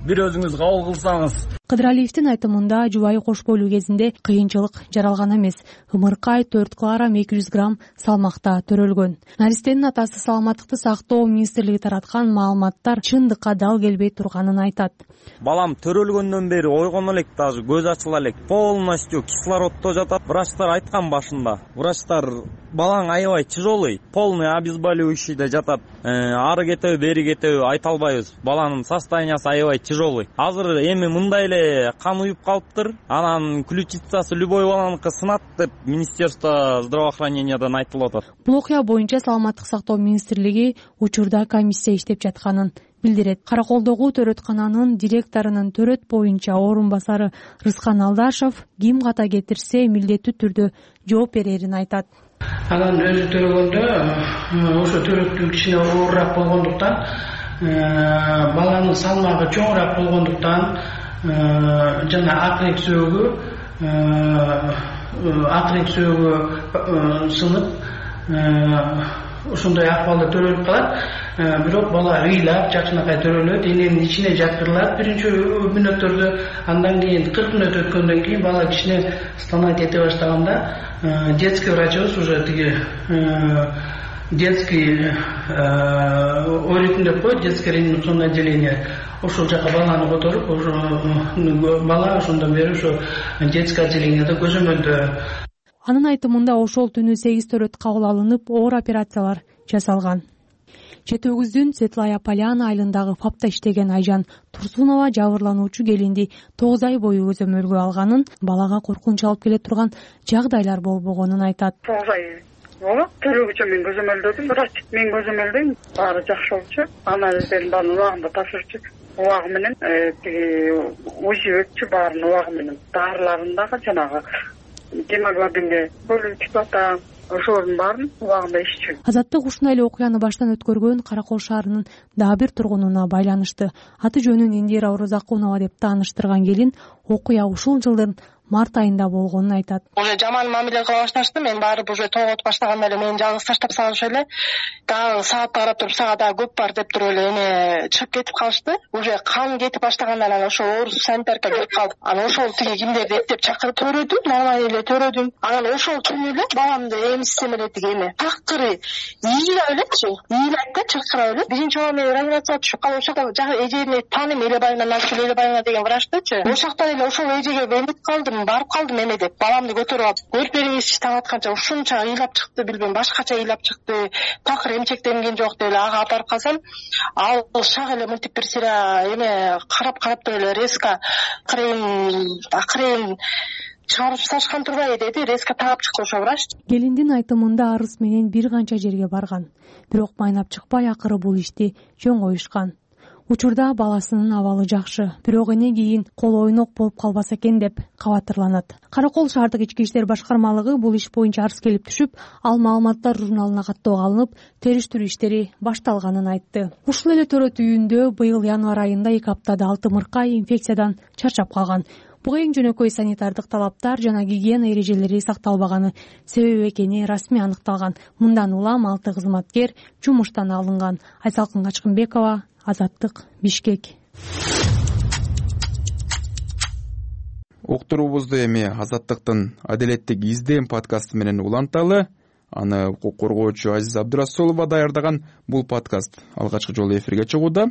бир өзүңүз кабыл кылсаңыз. Кыдыралиевдин айтымында жубайы кош бойлуу кезинде кыйынчылык жаралган эмес. Ымыркай 4 килограмм 200 грамм салмакта төрөлгөн. Наристенин атасы саламаттыкты сактоо министрлиги тараткан маалыматтар чындыкка дал келбей турганын айтат. Балам төрөлгөндөн бери ойгоно элек, даже көз ачыла элек, полностью кислороддо жатат. Врачтар айткан башында. Врачтар балаң аябай тяжелый, полный обезболивающийде жатат. Ары кетеби, бери кетеби айта албайбыз. Баланын состояниясы аябай тяжелый. Азыр эми мындай эле кан уюп калыптыр. Анан ключицасы любой баланыкы сынат деп Министерство здравоохранениядан айтылып атат. Бул окуя боюнча Саламаттык сактоо министрлиги учурда комиссия иштеп жатканын билдирет. Караколдогу төрөткананын директорунун төрөт боюнча орун басары Рыскан Алдашев ким ката кетирсе милдеттүү түрдө жооп берерин айтат. Анан өзү төрөгөндө ошо төрөттүү кичине оорураак болгондуктан, баланын салмагы чоңураак болгондуктан жана акырек сөөгү сынып ошондой акыбалда төрөлүп калат. Бирок бала ыйлап жакшынакай төрөлөт, эненин ичине жаткырылат биринчи мүнөттөрдө. Андан кийин 40 мүнөт өткөндөн кийин бала кичине стонать эте баштаганда детский врачыбыз уже тиги детский ооритм деп коет, детское реанимационное отделение. Ошол жака баланы которуп, бала ошондон бери ошо детский отделениеде көзөмөлдө. Анын айтымында ошол түнү 8 төрөт кабыл алынып, оор операциялар жасалган. Жети Өгүздүн Светлая Поляна айылындагы ФАПта иштеген Айжан Турсунова жабырлануучу келинди 9 ай бою көзөмөлгө алганын, балага коркунуч алып келе турган жагдайлар болбогонун айтат. 9 ай болот. Төрөгүчө мен көзөмөлдөдүм, бирок мен көзөмөлдөйм, баары жакшы болчу. Анализдердин баарын убагында тапшырчу. Убагы менен УЗИ өтчү, баарын убагы менен. Дарыларын дагы жанагы гемоглобинге бөлүп түшүп атам. Ошолордун баарын убагында иччү. Азаттык ушундай эле окуяны баштан өткөргөн Каракол шаарынын дагы бир тургунуна байланышты. Аты жөнүн Индира Орозакунова деп тааныштырган келин окуя ушул жылдын март айында болгонун айтат. Уже жаман мамиле кыла башташты. Мен барып уже тоготуп баштаганда эле мени жалгыз таштап салышып эле дагы саатка карап туруп сага дагы көп бар деп туруп эле эме чыгып кетип калышты. Уже кан кетип баштагандан анан ошо орус санитарка келип калды. Анан ошол тиги кимдерди эптеп чакырып төрөдүм, нормально эле төрөдүм. Анан ошол түнү эле баламды эмизсем эле тиги эме такыры ыйлап элечи, ыйлап да чыркырап эле. Биринчи жолу мен реанимацияга түшүп калып ошол жакта эжени тааныйм, Элебаевна, Назгүл Элебаевна деген врачтычы. Ошол жактан эле ошол эжеге эмип калдым, барып калдым эме деп. Баламды көтөрүп алып, көрүп бериңизчи таң атканча ушунча ыйлап чыкты, билбейм, башкача ыйлап чыкты. Такыр эмчектенген жок деп эле ага апарып калсам, ал шак эле мынтип бир сыйра эме карап эле резко акырын чыгарып салышкан турбайбы деди, резко таап чыкты ошо врач. Келиндин айтымында арыз менен бир канча жерге барган, бирок майнап чыкпай акыры бул ишти чоң коюшкан. Учурда баласынын абалы жакшы, бирок эне кийин кол ойнок болуп калбаса экен деп кабатырланат. Каракол шаардык ички иштер башкармалыгы бул иш боюнча арыз келип түшүп, ал маалыматтар журналына каттоого алынып, териштирүү иштери башталганын айтты. Ушул эле төрөт үйүндө быйыл январь айында 2 аптада 6 мыркай инфекциядан чарчап калган. Буга эң жөнөкөй санитардык талаптар жана гигиена эрежелери сакталбаганын себеби экени расмий аныкталган. Мындан улам 6 кызматкер жумуштан алынган. Айсалкын Качкынбекова, Азаттык, Бишкек. Уктуруубузду эми Азаттыктын Адилеттик издем подкасты менен уланталы. Аны укук коргоочу Азиза Абдырасулова даярдаган бул подкаст алгачкы жолу эфирге чыгууда.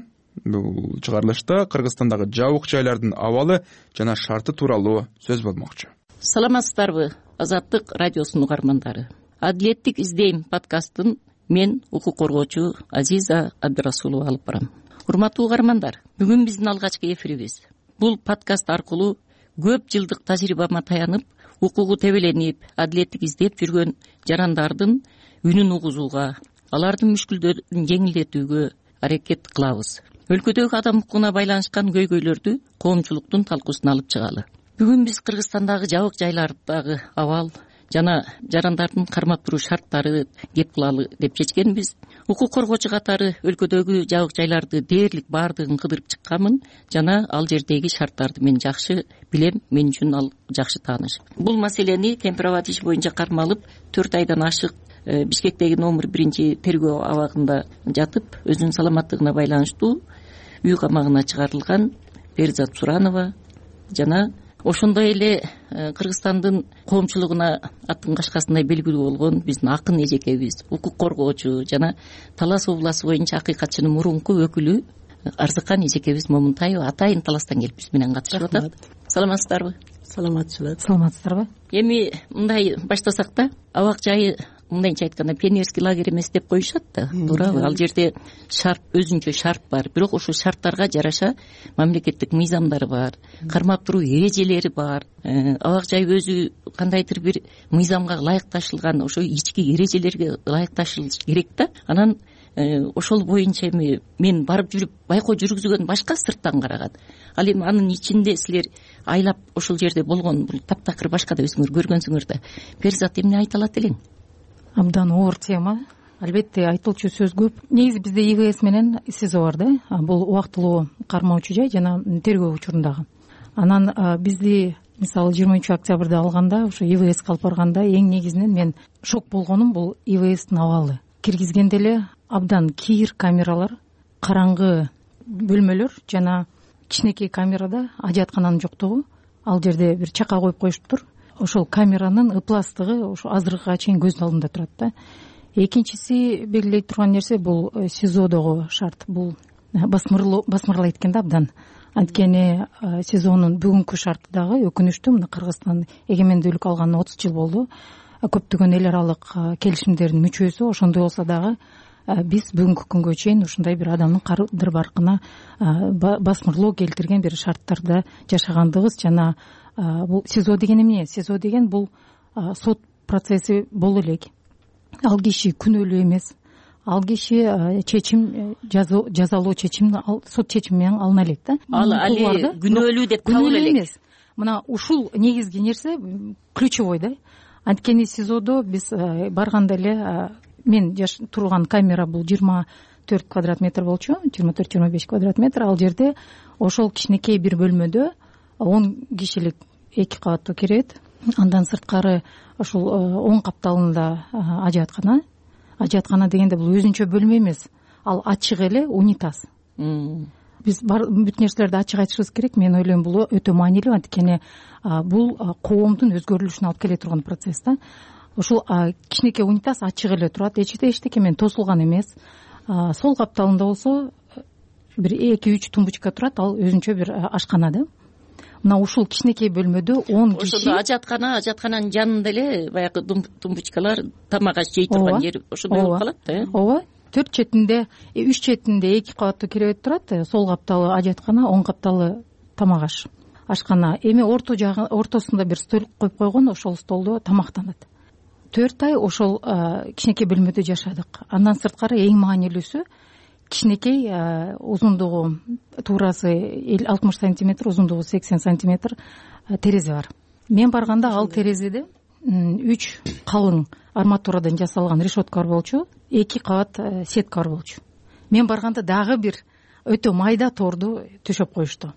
Бул чыгарылышта Кыргызстандагы жабык жайлардын абалы жана шарты тууралуу сөз болмокчу. Саламатсыздарбы, Азаттык радиосунун угармандары. Адилеттик издейм подкастын мен укук коргоочу Азиза Абдырасулова алып барам. Урматтуу угармандар, бүгүн биздин алгачкы эфирибиз. Бул подкаст аркылуу көп жылдык тажрыйбама таянып, укугу тебеленип, адилеттик издеп жүргөн жарандардын үнүн угузууга, алардын мүшкүлдөрүн жеңилдетүүгө аракет кылабыз. Өлкөдөгү адам укугуна байланышкан көйгөйлөрдү коомчулуктун талкуусуна алып чыгалы. Бүгүн биз Кыргызстандагы жабык жайлардагы абал жана жарандардын кармап туруу шарттары кеп кылалы деп чечкенбиз. Укук коргоочу катары өлкөдөгү жабык жайларды дээрлик баардыгын кыдырып чыкканмын жана ал жердеги шарттарды мен жакшы билем, мен үчүн ал жакшы тааныш. Бул маселени темпировать иш боюнча кармалып 4 айдан ашык Бишкектеги номер 1 тергөө абагында жатып, өзүнүн саламаттыгына байланыштуу үй камагына чыгарылган Перизат Суранова жана ошондой эле Кыргызстандын коомчулугуна аттын кашкасындай белгилүү болгон биздин акын эжекебиз, укук коргоочу жана Талас областы боюнча акыйкатчынын мурунку өкүлү Арзыкан эжекебиз Момунтаева атайын Таластан келип биз менен катышып атат. Саламатсыздарбы? Саламатсыздарбы? Эми мындай баштасак да, абак жайы мындайча айтканда пионерский лагерь эмес деп коюшат да, туурабы? Ал жерде шарт, өзүнчө шарт бар, бирок ошол шарттарга жараша мамлекеттик мыйзамдары бар, кармап туруу эрежелери бар. Абак жай өзү кандайдыр бир мыйзамга ылайыкташылган, ошо ички эрежелерге ылайыкташылыш керек да. Анан ошол боюнча эми мен барып жүрүп байкоо жүргүзгөн башка сырттан караган. Ал эми анын ичинде силер айлап ошол жерде болгон бул таптакыр башка да өзүңөр көргөнсүңөр да. Перизат, эмне айта алат элең? Абдан оор тема. Албетте айтылчу сөз көп. Негизи бизде ИВС менен СИЗО бар да. Бул убактылуу кармоочу жай жана тергөө учурундагы. Анан бизди мисалы 20 октябрда алганда, ошо ИВС алып барганда эң негизинен мен шок болгонум бул ИВСтин абалы. Киргизгенде эле абдан кийир камералар, караңгы бөлмөлөр жана кичинекей камерада ажаткананын жоктугу. Ал жерде бир чака коюп коюшуптур. Ошол камеранын ыпластыгы ошо азыркыга чейин көздүн алдымда турат да. Экинчиси белгилей турган нерсе бул СИЗОдогу шарт. Бул басмырлайт экен да абдан. Анткени СИЗОнун бүгүнкү шарты дагы өкүнүчтүү. Мына Кыргызстан эгемендүүлүк алганына 30 жыл болду. Көптөгөн эл аралык келишимдердин мүчөсү, ошондой болсо дагы биз бүгүнкү күнгө чейин ушундай бир адамдын кадыр баркына басмырлоо келтирген бир шарттарда жашагандыгыбыз жана бул СИЗО деген эмне? СИЗО деген бул сот процесси боло элек. Ал киши күнөөлүү эмес. Ал киши чечим, жазалоо чечимди сот чечими менен алына элек да. Ал али күнөөлүү деп табыла элек. Мына ушул негизги нерсе ключевой да. Анткени СИЗОдо биз барганда эле мен турган камера бул 24 квадрат метр болчу, 24-25 квадрат метр. Ал жерде ошол кичинекей бир бөлмөдө 10 кишилик 2 кабаттуу керебет. Андан сырткары ушул оң капталында ажыаткана дегенде бул өзүнчө бөлмө эмес, ал ачык эле унитаз. Биз бүт нерселерди ачык айтышыбыз керек. Мен ойлойм бул өтө маанилүү, анткени бул коомдун өзгөрүлүшүнө алып келе турган процесс да. Ушул кичинекей унитаз ачык эле турат, эчтеке менен тосулган эмес. Сол капталында болсо бир 2-3 тумбочка турат, ал өзүнчө бир ашкана да. Мына ушул кичинекей бөлмөдө 10 киши. Ошондо ажаткананын жанында эле баягы тумбочкалар, тамак аш жей турган жер ошондой болуп калат да. Ооба. 4 четинде, 3 четинде 2 кабаттуу керебет турат. Сол капталы ажаткана, оң капталы тамак аш ашкана. Эми ортосунда бир стол коюп койгон, ошол столдо тамактанат. 4 ай ошол кичинекей бөлмөдө жашадык. Андан сырткары эң маанилүүсү кичинекей узундугу туурасы 60 сантиметр, узундугу 80 сантиметр терезе бар. Мен барганда ал терезеде 3 калың арматурадан жасалган решетка бар болчу, 2 кабат сетка бар болчу. Мен барганда дагы бир өтө майда торду төшөп коюшту.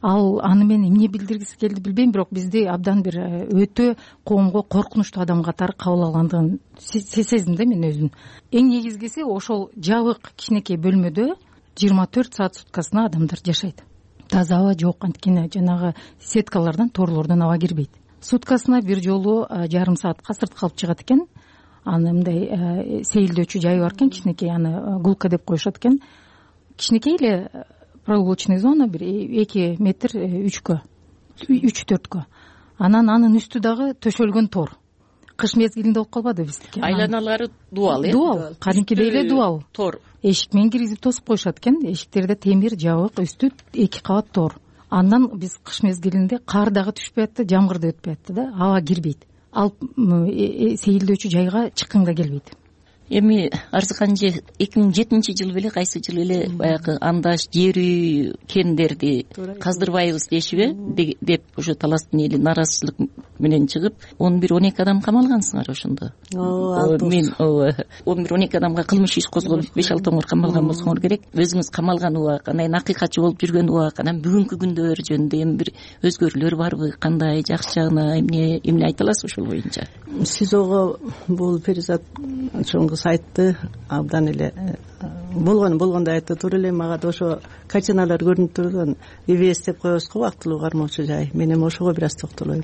Аны мен эмне билдиргиси келди билбейм, бирок бизди абдан бир өтө коомго коркунучтуу адам катары кабыл алгандыгын сездим да мен өзүм. Эң негизгиси ошол жабык кичинекей бөлмөдө 24 саат суткасына адамдар жашайт. Таза аба жок, анткени жанагы сеткалардан, торлордон аба кирбейт. Суткасына бир жолу жарым саатка сыртка алып чыгат экен. Аны мындай сейилдөөчү жай бар экен, кичинекей, аны гулка деп коюшат экен. Кичинекей эле прогулочный зона, бир 2 метр 3-4кө. Анан анын үстү дагы төшөлгөн тор. Кыш мезгилинде болуп калбады биздики. Айланалары дуал, Дуал, кадимкидей эле дуал. Тор. Эшик менен киргизип тосуп коюшат экен. Эшиктерде темир, жабык, үстү 2 кабат тор. Андан биз кыш мезгилинде кар дагы түшпөй атты, жамгыр да өтпөй атты да, аба кирбейт. Ал сейилдөөчү жайга чыккың да келбейт. Эми Арзыканжы 2007-жылы беле, кайсы жылы эле баягы андаш жер үй кендерди каздырбайбыз дешиби деп ошо таластын эли нааразычылык менен чыгып 11-12 адам камалгансыңар ошондо. Мен 11-12 адамга кылмыш иш козголуп 5-6 оңор камалган болсоңор керек. Өзүңүз камалган убак, анан акыйкатчы болуп жүргөн убак, анан бүгүнкү күндөр жөнүндө эми бир өзгөрүүлөр барбы, кандай, жакшы жагына эмне айта аласыз ошол боюнча? СИЗОго бул Перизат чоңгус айтты, абдан эле болгондой айтты. Туура эле мага да ошо картиналар көрүнүп турган ИВС деп коебуз го, убактылуу кармоочу жай. Мен эми ошого бир аз токтолоюм.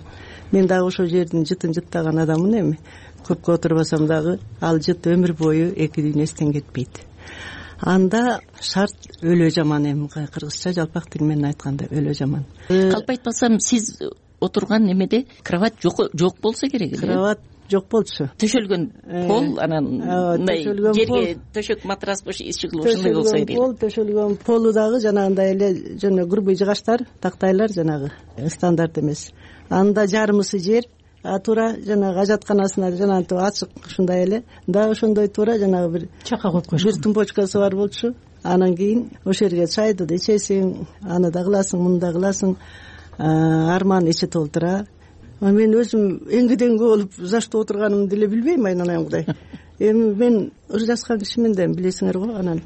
Мен дагы ошол жердин жытын жыттаган адаммын. Эми көпкө отурбасам дагы ал жыт өмүр бою эки дүйнө эстен кетпейт. Анда шарт өлө жаман, эми кыргызча жалпак тил менен айтканда өлө жаман. Калп айтпасам, сиз отурган немеде кровать жок болсо керек эле. Кровать жок болчу. Төшөлгөн пол, анан мындай жерге төшөк матрас ишигил ушундай болсо керек. Төшөлгөн полу дагы жанагындай эле жана грубый жыгачтар, тактайлар, жанагы стандарт эмес. Анда жарымысы жер, туура жанагы ажатканасына жанагынтип ачык ушундай эле. Да ошондой туура жанагы бир чака коюп коюшкан. Бир тумбочкасы бар болчу. Анан кийин ошол жерге чайды да ичесиң, аны да кыласың, муну да кыласың. Арман ичи толтура. Мен өзүм эңгиден болуп за что отурганымды деле билбейм, айнанаямдай. Эми мен ыр жаскан кишимин да, билесиңер го. Анан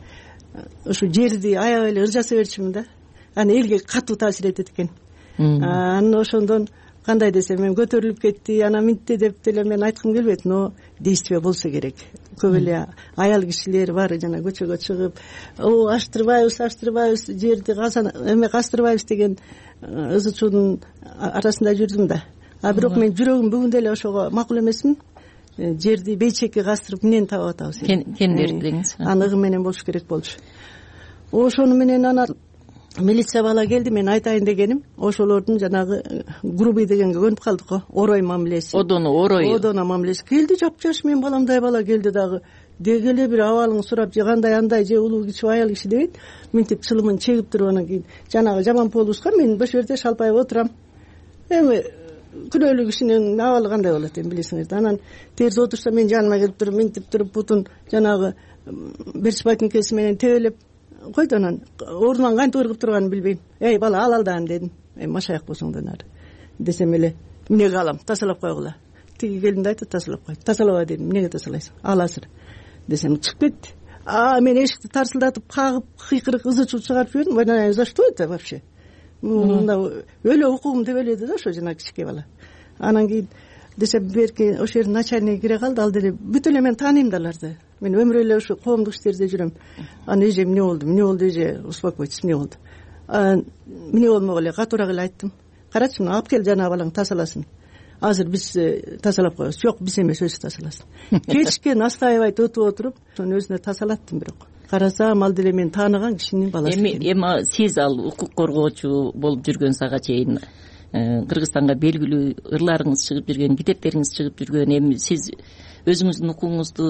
ушу жерди аябай эле ыр жаса берчүмүн да. Аны элге катуу таасир этет экен. Анан ошондон кандай десем, мен көтөрүлүп кетти, анан мынтте деп деле мен айткым келбейт, но действие болсо керек. Көп эле аял кишилер бар, жана көчөгө чыгып, аштырбайбыз, жерди каздырбайбыз деген ызы чуудун арасында жүрдүм да. Бирок мен жүрөгүм бүгүн деле ошого макул эмесмин. Жерди бейчекке каздырып эмнени таап атабыз? Кендер деңиз. Аныгы менен болуш керек болчу. Ошону менен анан милиция бала келди, мен айтайын дегеним, ошолордун жанагы грубый дегенге көнүп калдык го, орой мамилеси. Одоно мамилеси келди, жапжаш мен баламдай бала келди дагы. Деги эле бир абалың сурап, же кандай андай, же улуу киши, аял киши дебейт. Мынтип чылымын чегип туруп, анан кийин жанагы жаман полуска мен бош жерде шалпайып отурам. Эми күнөөлүү кишинин абалы кандай болот эми билесиңер. Анан терс отурса мен жаныма келип туруп, мынтип туруп бутун жанагы берчбайтинкеси менен тебелеп койду. Анан ордунан кантип ыргып турганын билбейм. Эй бала, ал даан дедим. Машаяк болсоң нары десем эле, эмнеге алам, тазалап койгула. Тиги келинди айтты, тазалап кой. Тазалаба дедим. Эмнеге тазалайсың? Ал азыр десем чыгып кетти. Мен эшикти тарсылдатып, кагып, кыйкырык ызы чуу чыгарып жибердим. За что это вообще? мында өлө укугум деп эледи да ошо жана кичике бала. Анан кийин десе берки ошол жердин начальниги кире калды, ал деле бүт эле мен тааныйм да аларды. Мен өмүр эле ушу коомдук иштерде жүрөм. Анан эже эмне болду эже, успокойтесь, эмне болду? Эмне болмок эле, катуураак эле айттым. Карачы, мына алып кел жанагы балаң тазаласын. Азыр биз тазалап коебуз. Жок, биз эмес, өзү тазаласын. Кетишкен настаивать өтүп отуруп, ошону өзүнө тазалаттым. Бирок карасам ал деле мен тааныган кишинин баласы. Эми сиз ал укук коргоочу болуп жүргөн сага чейин Кыргызстанга белгилүү ырларыңыз чыгып жүргөн, китептериңиз чыгып жүргөн, эми сиз өзүңүздүн укугуңузду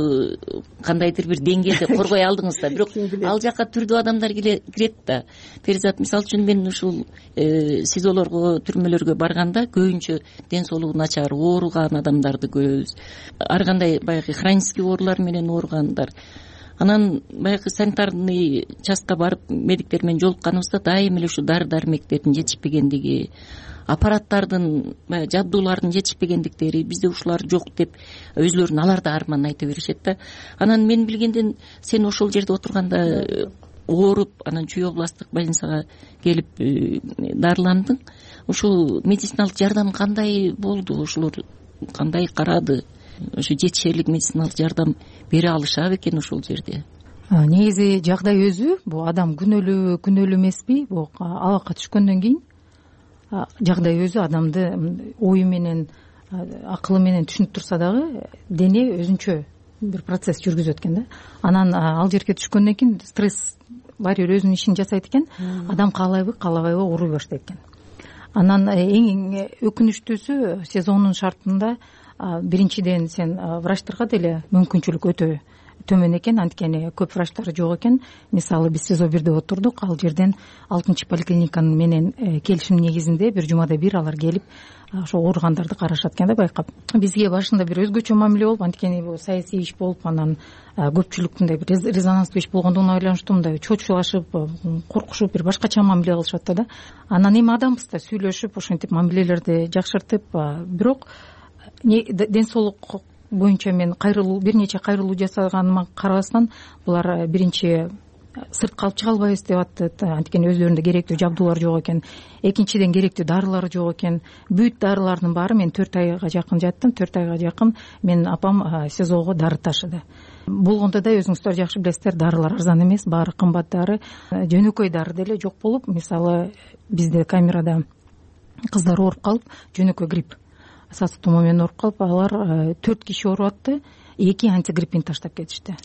кандайдыр бир деңгээлде коргой алдыңыз да. Бирок ал жака түрдүү адамдар кирет да. Перизат, мисалы үчүн мен ушул СИЗОлорго, түрмөлөргө барганда көбүнчө ден соолугу начар, ооруган адамдарды көрөбүз. Ар кандай баягы хронический оорулар менен ооругандар. Анан баягы санитарный частка барып медиктер менен жолукканыбызда дайыма эле ушу дары дармектердин жетишпегендиги, аппараттардын, жабдуулардын жетишпегендиктери, бизде ушулар жок деп өзүлөрүн алар да арман айта беришет да. Анан мен билгенден сен ошол жерде отурганда ооруп, анан Чүй областтык больницага келип дарыландың. Ушул медициналык жардам кандай болду? Ошолор кандай карады? Ошо жетишерлик медициналык жардам бере алышабы экен ошол жерде? Негизи жагдай өзү, бул адам күнөөлүү эмеспи? Бул абакка түшкөндөн кийин жагдай өзү адамды ою менен, акылы менен түшүнүп турса дагы дене өзүнчө бир процесс жүргүзөт экен да. Анан ал жерге түшкөндөн кийин стресс баары бир өзүнүн ишин жасайт экен. Адам каалайбы, каалабайбы ооруй баштайт экен. Анан эң өкүнүчтүүсү сезондун шартында биринчиден сен врачтарга деле мүмкүнчүлүк өтө төмөн экен, анткени көп врачтар жок экен. Мисалы биз СИЗО 1де отурдук, ал жерден 6-чы поликлиниканын менен келишим негизинде бир жумада бир алар келип ошо ооругандарды карашат экен да, байкап. Бизге башында бир өзгөчө мамиле болуп, анткени бул саясий иш болуп, анан көпчүлүк мындай бир резонанстуу иш болгондугуна байланыштуу мындай чочулашып, коркушуп, бир башкача мамиле кылышат да. Анан эми адамбыз да сүйлөшүп, ошентип мамилелерди жакшыртып, бирок ден соолук боюнча мен бир нече кайрылуу жасаганыма карабастан, булар биринчи сыртка алып чыга албайбыз деп атты, анткени өздөрүндө керектүү жабдуулар жок экен. Экинчиден керектүү дарылар жок экен. Бүт дарылардын баары, мен 4 айга жакын жаттым, 4 айга жакын мен апам СИЗОго дары ташыды. Болгондо да өзүңүздөр жакшы билесиздер, дарылар арзан эмес, баары кымбат дары. Жөнөкөй дары деле жок болуп, мисалы бизде камерада кыздар ооруп калып, жөнөкөй грипп сасык тумоо менен ооруп калып, алар 4 киши ооруп атты, 2 антигриппин таштап кетишти,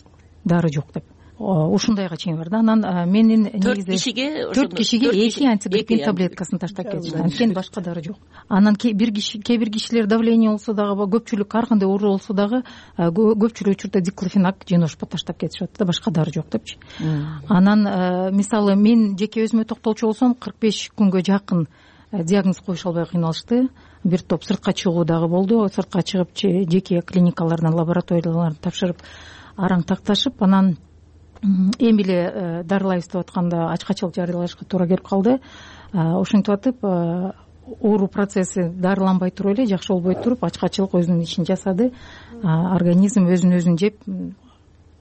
дары жок деп. Ушундайга чейин бар да. Анан менин негизи 4 кишиге 2 антигриппин таблеткасын таштап кетишти, анткени башка дары жок. Анан кээ бир кишилер давление болсо дагы, көпчүлүк ар кандай оору болсо дагы көпчүлүк учурда диклофенак, женошпа таштап кетишип атты да, башка дары жок депчи. Анан мисалы мен жеке өзүмө токтолчу болсом, 45 күнгө жакын диагноз коюша албай кыйналышты. Бир топ сыртка чыгуу дагы болду. Сыртка чыгып жеке клиникалардан, лабораториялардан тапшырып, араң такташып, анан эми эле дарылайбыз деп атканда ачкачылык жарыялашка туура келип калды. Ошентип атып, оору процесси дарыланбай туруп эле, жакшы болбой туруп, ачкачылык өзүнүн ишин жасады. Организм өзүн жеп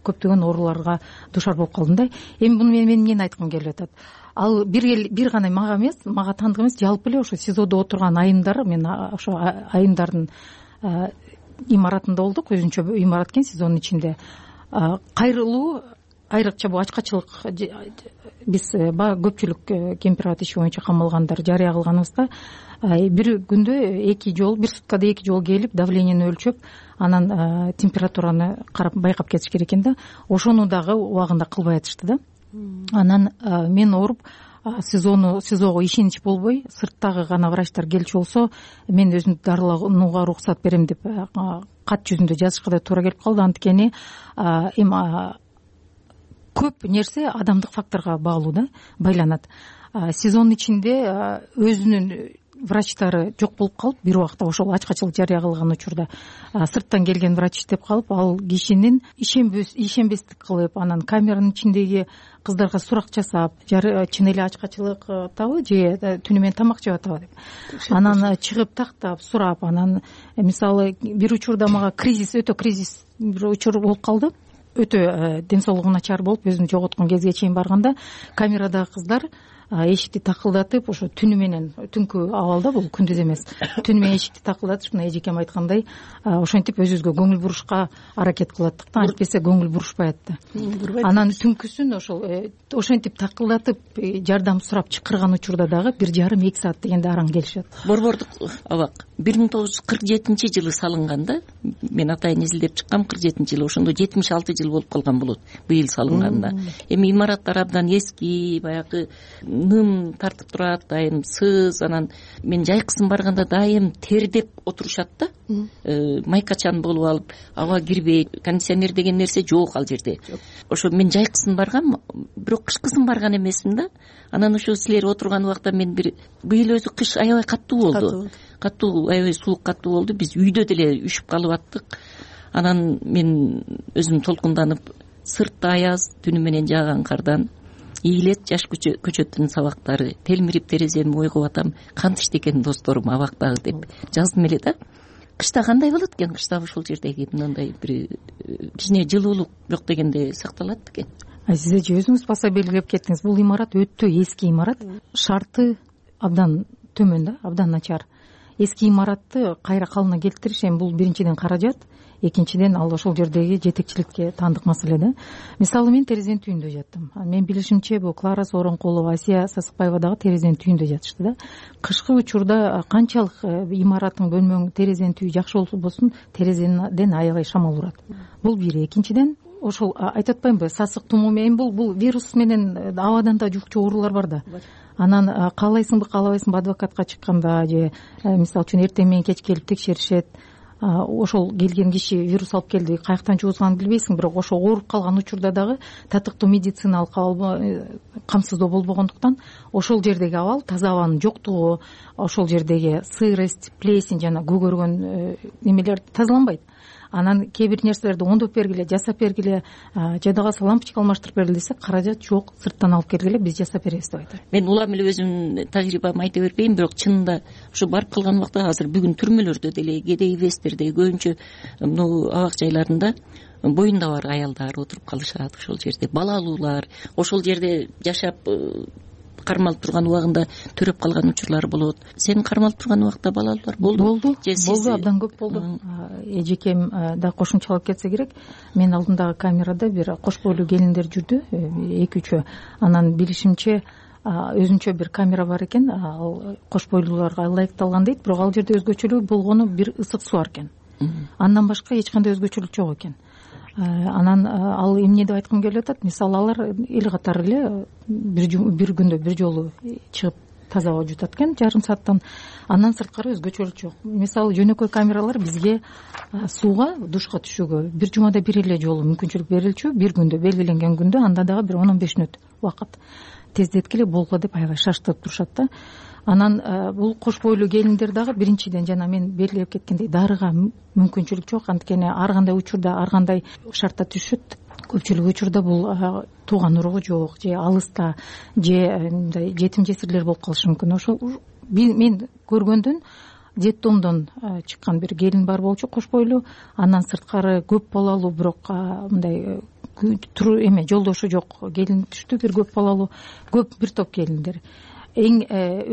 көптөгөн ооруларга дуушар болуп калдым да. Эми буну мен эмнени айткым келип атат? Ал бир гана мага эмес, мага таандык эмес, жалпы эле ошо СИЗОдо отурган айымдар, мен ошо айымдардын имаратында болдук, өзүнчө имарат экен СИЗОнун ичинде. Кайрылуу, айрыкча бул ачкачылык, биз көпчүлүк кемпир иши боюнча камалгандар жарыя кылганыбызда, бир күндө 2 жолу, бир суткада 2 жолу келип, давлениени өлчөп, анан температураны карап байкап кетиш керек экен да. Ошону дагы убагында кылбай атышты да. Анан мен ооруп, СИЗОго ишенич болбой, сырттагы гана врачтар келчү болсо, мен өзүмдү дарыланууга уруксат берем деп кат жүзүндө жазышка да туура келип калды, анткени эми көп нерсе адамдык факторго баалуу да, байланат. СИЗОнун ичинде өзүнүн врачтары жок болуп калып, бир убакта ошол ачкачылык жарыя кылган учурда сырттан келген врач иштеп калып, ал кишинин ишенбестик кылып, анан камеранын ичиндеги кыздарга сурак жасап, чын эле ачкачылык атабы же түнү менен тамак жеп атабы деп, анан чыгып тактап сурап, анан мисалы бир учурда мага өтө кризис бир учур болуп калды. Өтө ден соолугу начар болуп, өзүн жоготкон кезге чейин барганда, камерадагы кыздар эшикти такылдатып ошо түнү менен, түнкү абалда бул күндүз эмес, түнү менен эшикти такылдатып мына эжекем айткандай ошентип өзүбүзгө көңүл бурушка аракет кылаттык да, антпесе көңүл бурушпайт да. Анан түнкүсүн ошентип такылдатып жардам сурап чакырган учурда дагы 1,5-2 саат дегенде араң келишет. Борбордук абак 1947-жылы салынган да. Мен атайын изилдеп чыккам, 47-жылы, ошондо 76 жыл болуп калган болот быйыл салынганда. Эми имараттар абдан эски, баягы ным тартып турат, дайым сыз, анан мен жайкысын барганда дайым тердеп отурушат да. Майкачан болуп алып, аба кирбейт, кондиционер деген нерсе жок ал жерде. Ошо мен жайкысын баргам, бирок кышкысын барган эмесмин да. Анан ошо силер отурган убакта мен быйыл өзү кыш аябай каттуу болду. Каттуу, аябай суук каттуу болду. Биз үйдө деле үшүп калып аттык. Анан мен өзүм толкунданып, сыртта аяз, түнү менен жааган кардан ийилет жаш көчөттүн сабактары, телмирип тереземи ойгоп атам, кантишти экен досторум абактагы деп жаздым эле да. Кышта кандай болот экен? Кышта ушул жердеги мындай бир кичине жылуулук жок дегенде сакталат бекен? Сиз эже өзүңүз баса белгилеп кеттиңиз. Бул имарат өтө эски имарат. Шарты абдан төмөн да, абдан начар. Эски имаратты кайра калыбына келтириш эми бул биринчиден каражат, экинчиден ал ошол жердеги жетекчиликке таандык маселе да. Мисалы мен терезенин түйүндө жаттым. Мен билишимче бул Клара Сооронкулова, Асия Сасыкбаева дагы терезенин түйүндө жатышты да. Кышкы учурда канчалык имараттын бөлмөң терезенин түйү жакшы болбосун, терезеден аябай шамал урат. Бул бир. Экинчиден ошол айтып атпаймынбы, сасык тумоо менен бул вирус менен абадан да жукчу оорулар бар да. Анан каалайсыңбы, каалабайсыңбы адвокатка чыкканда же мисалы үчүн эртең менен кеч келип текшеришет. Ошол келген киши вирус алып келди, каяктан жугузганын билбейсиң, бирок ошо ооруп калган учурда дагы татыктуу медициналык камсыздоо болбогондуктан ошол жердеги абал, таза абанын жоктугу, ошол жердеги сырость, плесень жана көгөргөн немелер тазаланбайт. Анан кээ бир нерселерди оңдоп бергиле, жасап бергиле, жада калса лампочка алмаштырып бергиле десек, каражат жок, сырттан алып келгиле, биз жасап беребиз деп айтат. Мен улам эле өзүмдүн тажрыйбамды айта бербейм, бирок чынында ушу барып калган убакта азыр бүгүн түрмөлөрдө деле, кедей вестерде, көбүнчө могу абак жайларында боюнда бар аялдар отуруп калышат ошол жерде, балалуулар ошол жерде жашап кармалып турган убагында төрөп калган учурлар болот. Сен кармалып турган убакта балалуулар болду? Болду, абдан көп болду. Эжекем да кошумчалап кетсе керек. Мен алдымдагы камерада бир кош бойлуу келиндер жүрдү, 2-3. Анан билишимче өзүнчө бир камера бар экен, ал кош бойлууларга ылайыкталган дейт, бирок ал жерде өзгөчөлүгү болгону бир ысык суу бар экен. Андан башка эч кандай өзгөчөлүк жок экен. Анан ал эмне деп айткым келип атат, мисалы алар эл катары эле бир күндө бир жолу чыгып таза аба жутат экен, жарым сааттан. Андан сырткары өзгөчөлүк жок. Мисалы жөнөкөй камералар бизге сууга, душка түшүүгө бир жумада бир эле жолу мүмкүнчүлүк берилчү, бир күндө, белгиленген күндө, анда дагы бир 10-15 мүнөт убакыт. Тездеткиле болгула деп аябай шаштырып турушат да. Анан бул кош бойлуу келиндер дагы биринчиден жана мен белгилеп кеткендей дарыга мүмкүнчүлүк жок, анткени ар кандай учурда ар кандай шартта түшөт. Көпчүлүк учурда бул тууган уругу жок, же алыста, же мындай жетим жесирлер болуп калышы мүмкүн. Ошол мен көргөндөн детдомдон чыккан бир келин бар болчу, кош бойлуу. Андан сырткары көп балалуу, бирок мындай жолдошу жок келин түштү, бир көп балалуу, көп бир топ келиндер. Эң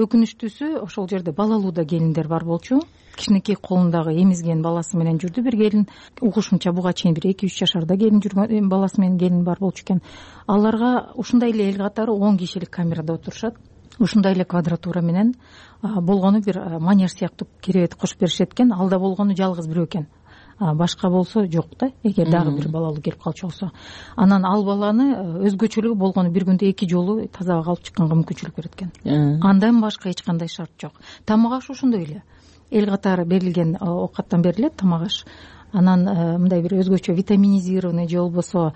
өкүнүчтүүсү ошол жерде балалуу да келиндер бар болчу. Кичинекей колундагы эмизген баласы менен жүрдү бир келин. Угушумча буга чейин бир 2-3 жашарда келин жүргөн, баласы менен келин бар болчу экен. Аларга ушундай эле эл катары 10 кишилик камерада отурушат. Ушундай эле квадратура менен болгону бир манеж сыяктуу керебет кошуп беришет экен. Алда болгону жалгыз бирөө экен. Башка болсо жок да, эгер дагы бир балалуу келип калчу болсо. Анан ал баланы өзгөчөлүгү болгону бир күндө 2 жолу таза абага алып чыкканга мүмкүнчүлүк берет экен. Андан башка эч кандай шарт жок. Тамак аш ошондой эле. Эл катары берилген оокаттан берилет тамак аш. Анан мындай бир өзгөчө витаминизированный же болбосо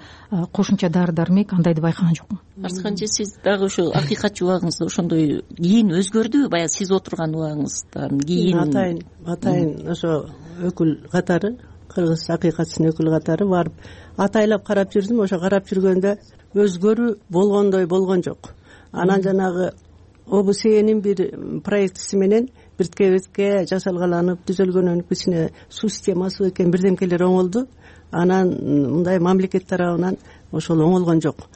кошумча дары дармек андайды байкаган жокмун. Арсканчы сиз дагы ошо акыйкатчы убагыңызда ошондой кийин өзгөрдүбү? Баягы сиз отурган убагыңыздан кийин атайын ошо өкүл катары, кыргыз акыйкатчынын өкүлү катары барып атайлап карап жүрдүм. Ошо карап жүргөндө өзгөрүү болгондой болгон жок. Анан жанагы ОБСЕнин бир проектиси менен биртке биртке жасалгаланып түзөлгөнөн кичине суу системасы экен бирдемкелер оңолду. Анан мындай мамлекет тарабынан ошол оңолгон жок.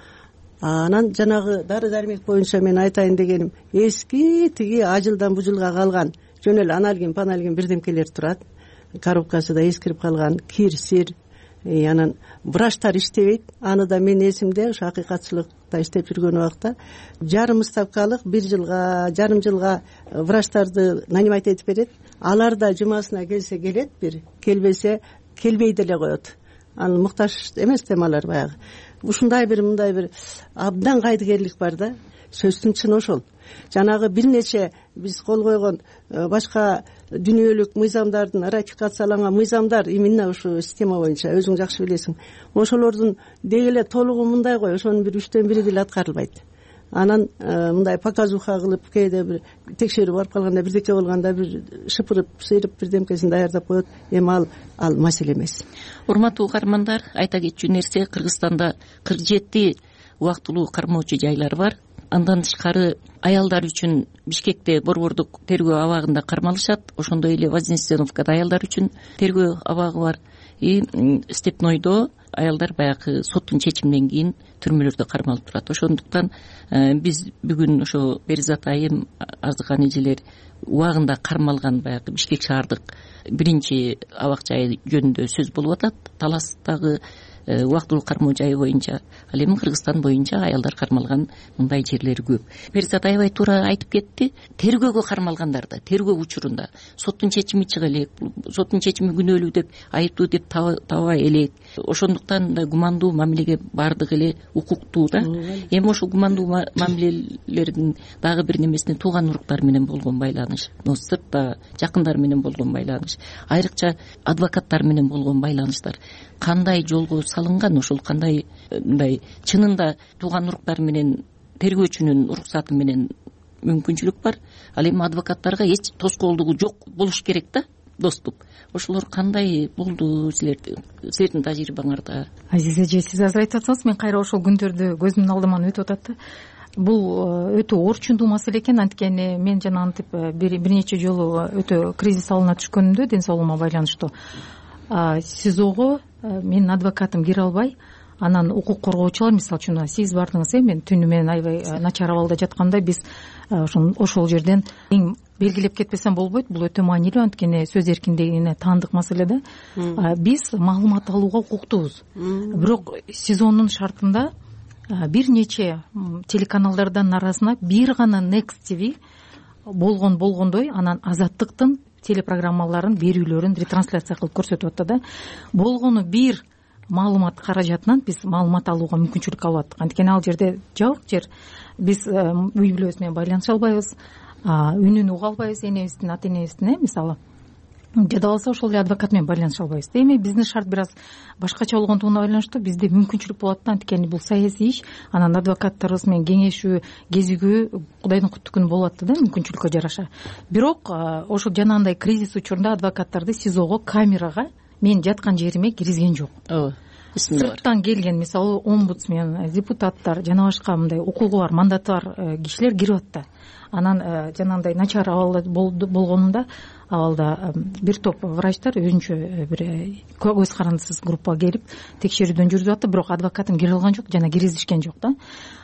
Анан жанагы дары дармек боюнча мен айтайын дегеним, эски тиги ажылдан бужулга калган жөн эле аналгин паналгин бирдемкелер турат. Коробкасы да эскирип калган, кир сир, анан врачтар иштебейт. Аны да мен эсимде ушу акыйкатчылыкта иштеп жүргөн убакта жарым ставкалык жарым жылга врачтарды нанимать этип берет. Алар да жумасына келсе келет, бир келбесе келбей деле коет. Аны муктаж эмес темалар баягы. Ушундай бир мындай бир абдан кайдыгерлик бар да. Сөздүн чыны ошол. Жанагы бир нече биз кол койгон башка дүйнөлүк мыйзамдардын ратификацияланган мыйзамдар именно ушу система боюнча өзүң жакшы билесиң. Ошолордун деги эле толугу мындай го, ошонун бир 3төн 1 деле аткарылбайт. Анан мындай показуха кылып кээде бир текшерүү барып калганда бирдеке болгондо бир шыпырып сыйрып бирдемкесин даярдап коет. Эми ал маселе эмес. Урматтуу угармандар, айта кетчү нерсе, Кыргызстанда 47 убактылуу кармоочу жайлар бар. Андан тышкары аялдар үчүн Бишкекте борбордук тергөө абагында кармалышат. Ошондой эле Вознесеновкада аялдар үчүн тергөө абагы бар. Степнойдо аялдар баягы соттун чечиминен кийин түрмөлөрдө кармалып турат. Ошондуктан биз бүгүн ошо Беризат айым, Арзыкан эжелер убагында кармалган баягы Бишкек шаардык биринчи абак жайы жөнүндө сөз болуп атат. Таластагы убактылуу кармоо жайы боюнча, ал эми Кыргызстан боюнча аялдар кармалган мындай жерлер көп. Беризат аябай туура айтып кетти. Тергөөгө кармалгандарда, тергөө учурунда соттун чечими чыга элек, соттун чечими күнөөлүү деп, айыптуу деп таба элек. Ошондуктан да гумандуу мамилеге бардык эле укуктуу да. Эми ошол гумандуу мамилелердин дагы бир немесине тууган уруктар менен болгон байланыш, сыртта жакындар менен болгон байланыш, айрыкча адвокаттар менен болгон байланыштар кандай жолго салынган, ошол кандай мындай чынында тууган уруктар менен тергөөчүнүн уруксаты менен мүмкүнчүлүк бар. Ал эми адвокаттарга эч тоскоолдугу жок болуш керек да, доступ. Ошолор кандай болду силердин тажрыйбаңарда? Азиз эже, сиз азыр айтып атсаңыз, мен кайра ошол күндөрдү көзүмдүн алдыман өтүп атат да. Бул өтө орчундуу маселе экен. Анткени мен жанагынтип бир нече жолу өтө кризис алына түшкөнүмдө ден соолугума байланыштуу СИЗОго менин адвокатым кире албай, анан укук коргоочулар, мисалы үчүн сиз бардыңыз, мен түнү менен аябай начар абалда жатканда биз ошол жерден эң белгилеп кетпесем болбойт. Бул өтө маанилүү, анткени сөз эркиндигине таандык маселе да. Биз маалымат алууга укуктуубуз. Бирок СИЗОнун шартында бир нече телеканалдардын арасына бир гана Next TV болгондой, анан Азаттыктын телепрограммаларын берүүлөрүн ретрансляция кылып көрсөтүп атты да. Болгону бир маалымат каражатынан биз маалымат алууга мүмкүнчүлүк алып аттык. Анткени ал жерде жабык жер, биз үй бүлөбүз менен байланыша албайбыз, үнүн уга албайбыз, энебиздин ата энебиздин, мисалы жада алса ошол эле адвокат менен байланыша албайбыз. Эми биздин шарт бир аз башкача болгондугуна байланыштуу бизде мүмкүнчүлүк болот да, анткени бул саясий иш, анан адвокаттарыбыз менен кеңешүү, кезигүү Кудайдын куттук күнү болуп атты да, мүмкүнчүлүккө жараша. Бирок ошол жанагындай кризис учурунда адвокаттарды СИЗОго камерага мен жаткан жериме киргизген жок. Сырттан келген, мисалы омбудсмен, депутаттар, жана башка мындай укугу бар, мандаты бар кишилер кирип атты. Анан жанагындай начар абалда болгонунда абалда бир топ врачтар өзүнчө бир көз карандысыз группа келип текшерүүдөн жүргүзүп атты, бирок адвокатым кире алган жок, жана киргизишкен жок да.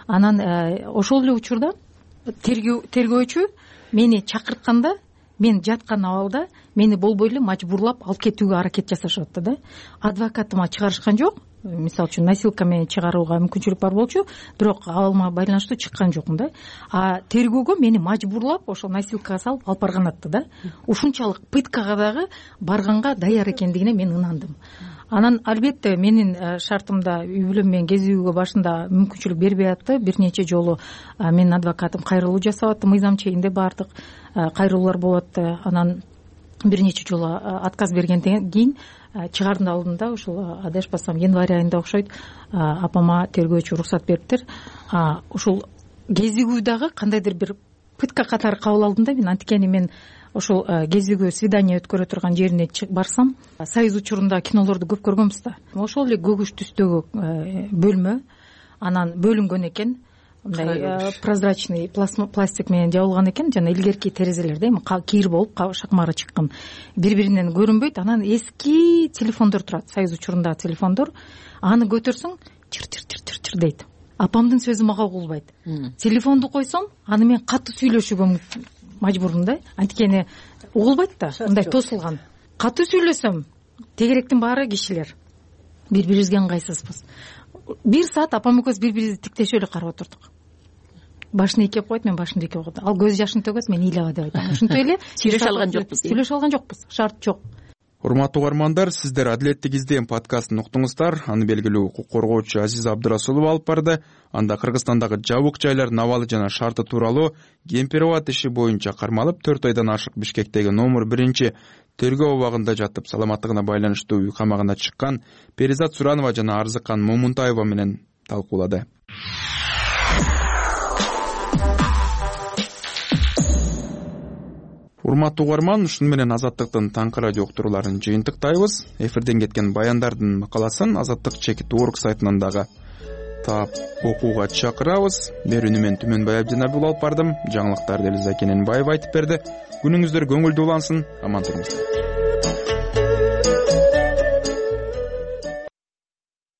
Анан ошол эле учурда тергөөчү мени чакыртканда, мен жаткан абалда мени болбой эле мажбурлап алып кетүүгө аракет жасашып атты да. Адвокатыма чыгарышкан жок. Мисалы үчүн носилка менен чыгарууга мүмкүнчүлүк бар болчу, бирок абалыма байланыштуу чыккан жокмун да. Тергөөгө мени мажбурлап ошол носилкага салып алып барган атты да. Ушунчалык пыткага дагы барганга даяр экендигине мен ынандым. Анан албетте менин шартымда үй бүлөм менен кезүүгө башында мүмкүнчүлүк бербей атты. Бир нече жолу менин адвокатым кайрылуу жасап атты, мыйзам чегинде бардык кайрылуулар болуп атты. Анан бир нече жолу отказ бергенден кийин чыгардын алдында ушул адашпасам январь айында окшойт апама тергөөчү уруксат бериптир. Ушул кезигүү дагы кандайдыр бир пытка катары кабыл алдым да мен, анткени мен ошол кезигүү свидание өткөрө турган жерине барсам, союз учурунда кинолорду көп көргөнбүз да. Ошол эле көгүш түстөгү бөлмө, анан бөлүнгөн экен, мындай прозрачный пластик менен жабылган экен, жана илгерки терезелерде эми кийир болуп шакмары чыккан, бири-биринен көрүнбөйт. Анан эски телефондор турат, союз учурундагы телефондор, аны көтөрсөң чыр-чыр дейт. апамдын сөзү мага угулбайт. Телефонду койсом аны мен катуу сүйлөшүүгө мажбурмун да, анткени угулбайт да, мындай тосулган. Катуу сүйлөсөм тегеректин баары кишилер бири-бирибизге ыңгайсызбыз. 1 саат апам экөөбүз бири-бирибизди тиктешип эле карап отурдук. Башын ийкеп койт, мен башымды ийкеп койдум. Ал көз жашын төгөт, мен ыйлаба деп айтам. Ошентип эле сүйлөшө алган жокпуз. Сүйлөшө алган жокпуз. Шарт жок. Урматтуу угармандар, сиздер Адилеттик издейм подкастын уктуңуздар. Аны белгилүү укук коргоочу Азиза Абдырасулова алып барды. Анда Кыргызстандагы жабык жайлардын абалы жана шарты тууралуу кемпирабад иши боюнча кармалып 4 айдан ашык Бишкектеги номер 1 тергөө абагында жатып саламаттыгына байланыштуу үй камагына чыккан Перизат Суранова жана Арзыкан Момунтаева менен талкуулады. Урматтуу угарман, ушуну менен Азаттыктын таңкы радио уктурууларын жыйынтыктайбыз. Эфирден кеткен баяндардын макаласын Азаттык.org сайтынан дагы таап окууга чакырабыз. Берүүнү мен Түмөнбай Абдинабул алып бардым. Жаңылыктарды Элиза Кененбаева айтып берди. Күнүңүздөр көңүлдүү улансын, аман туруңуздар.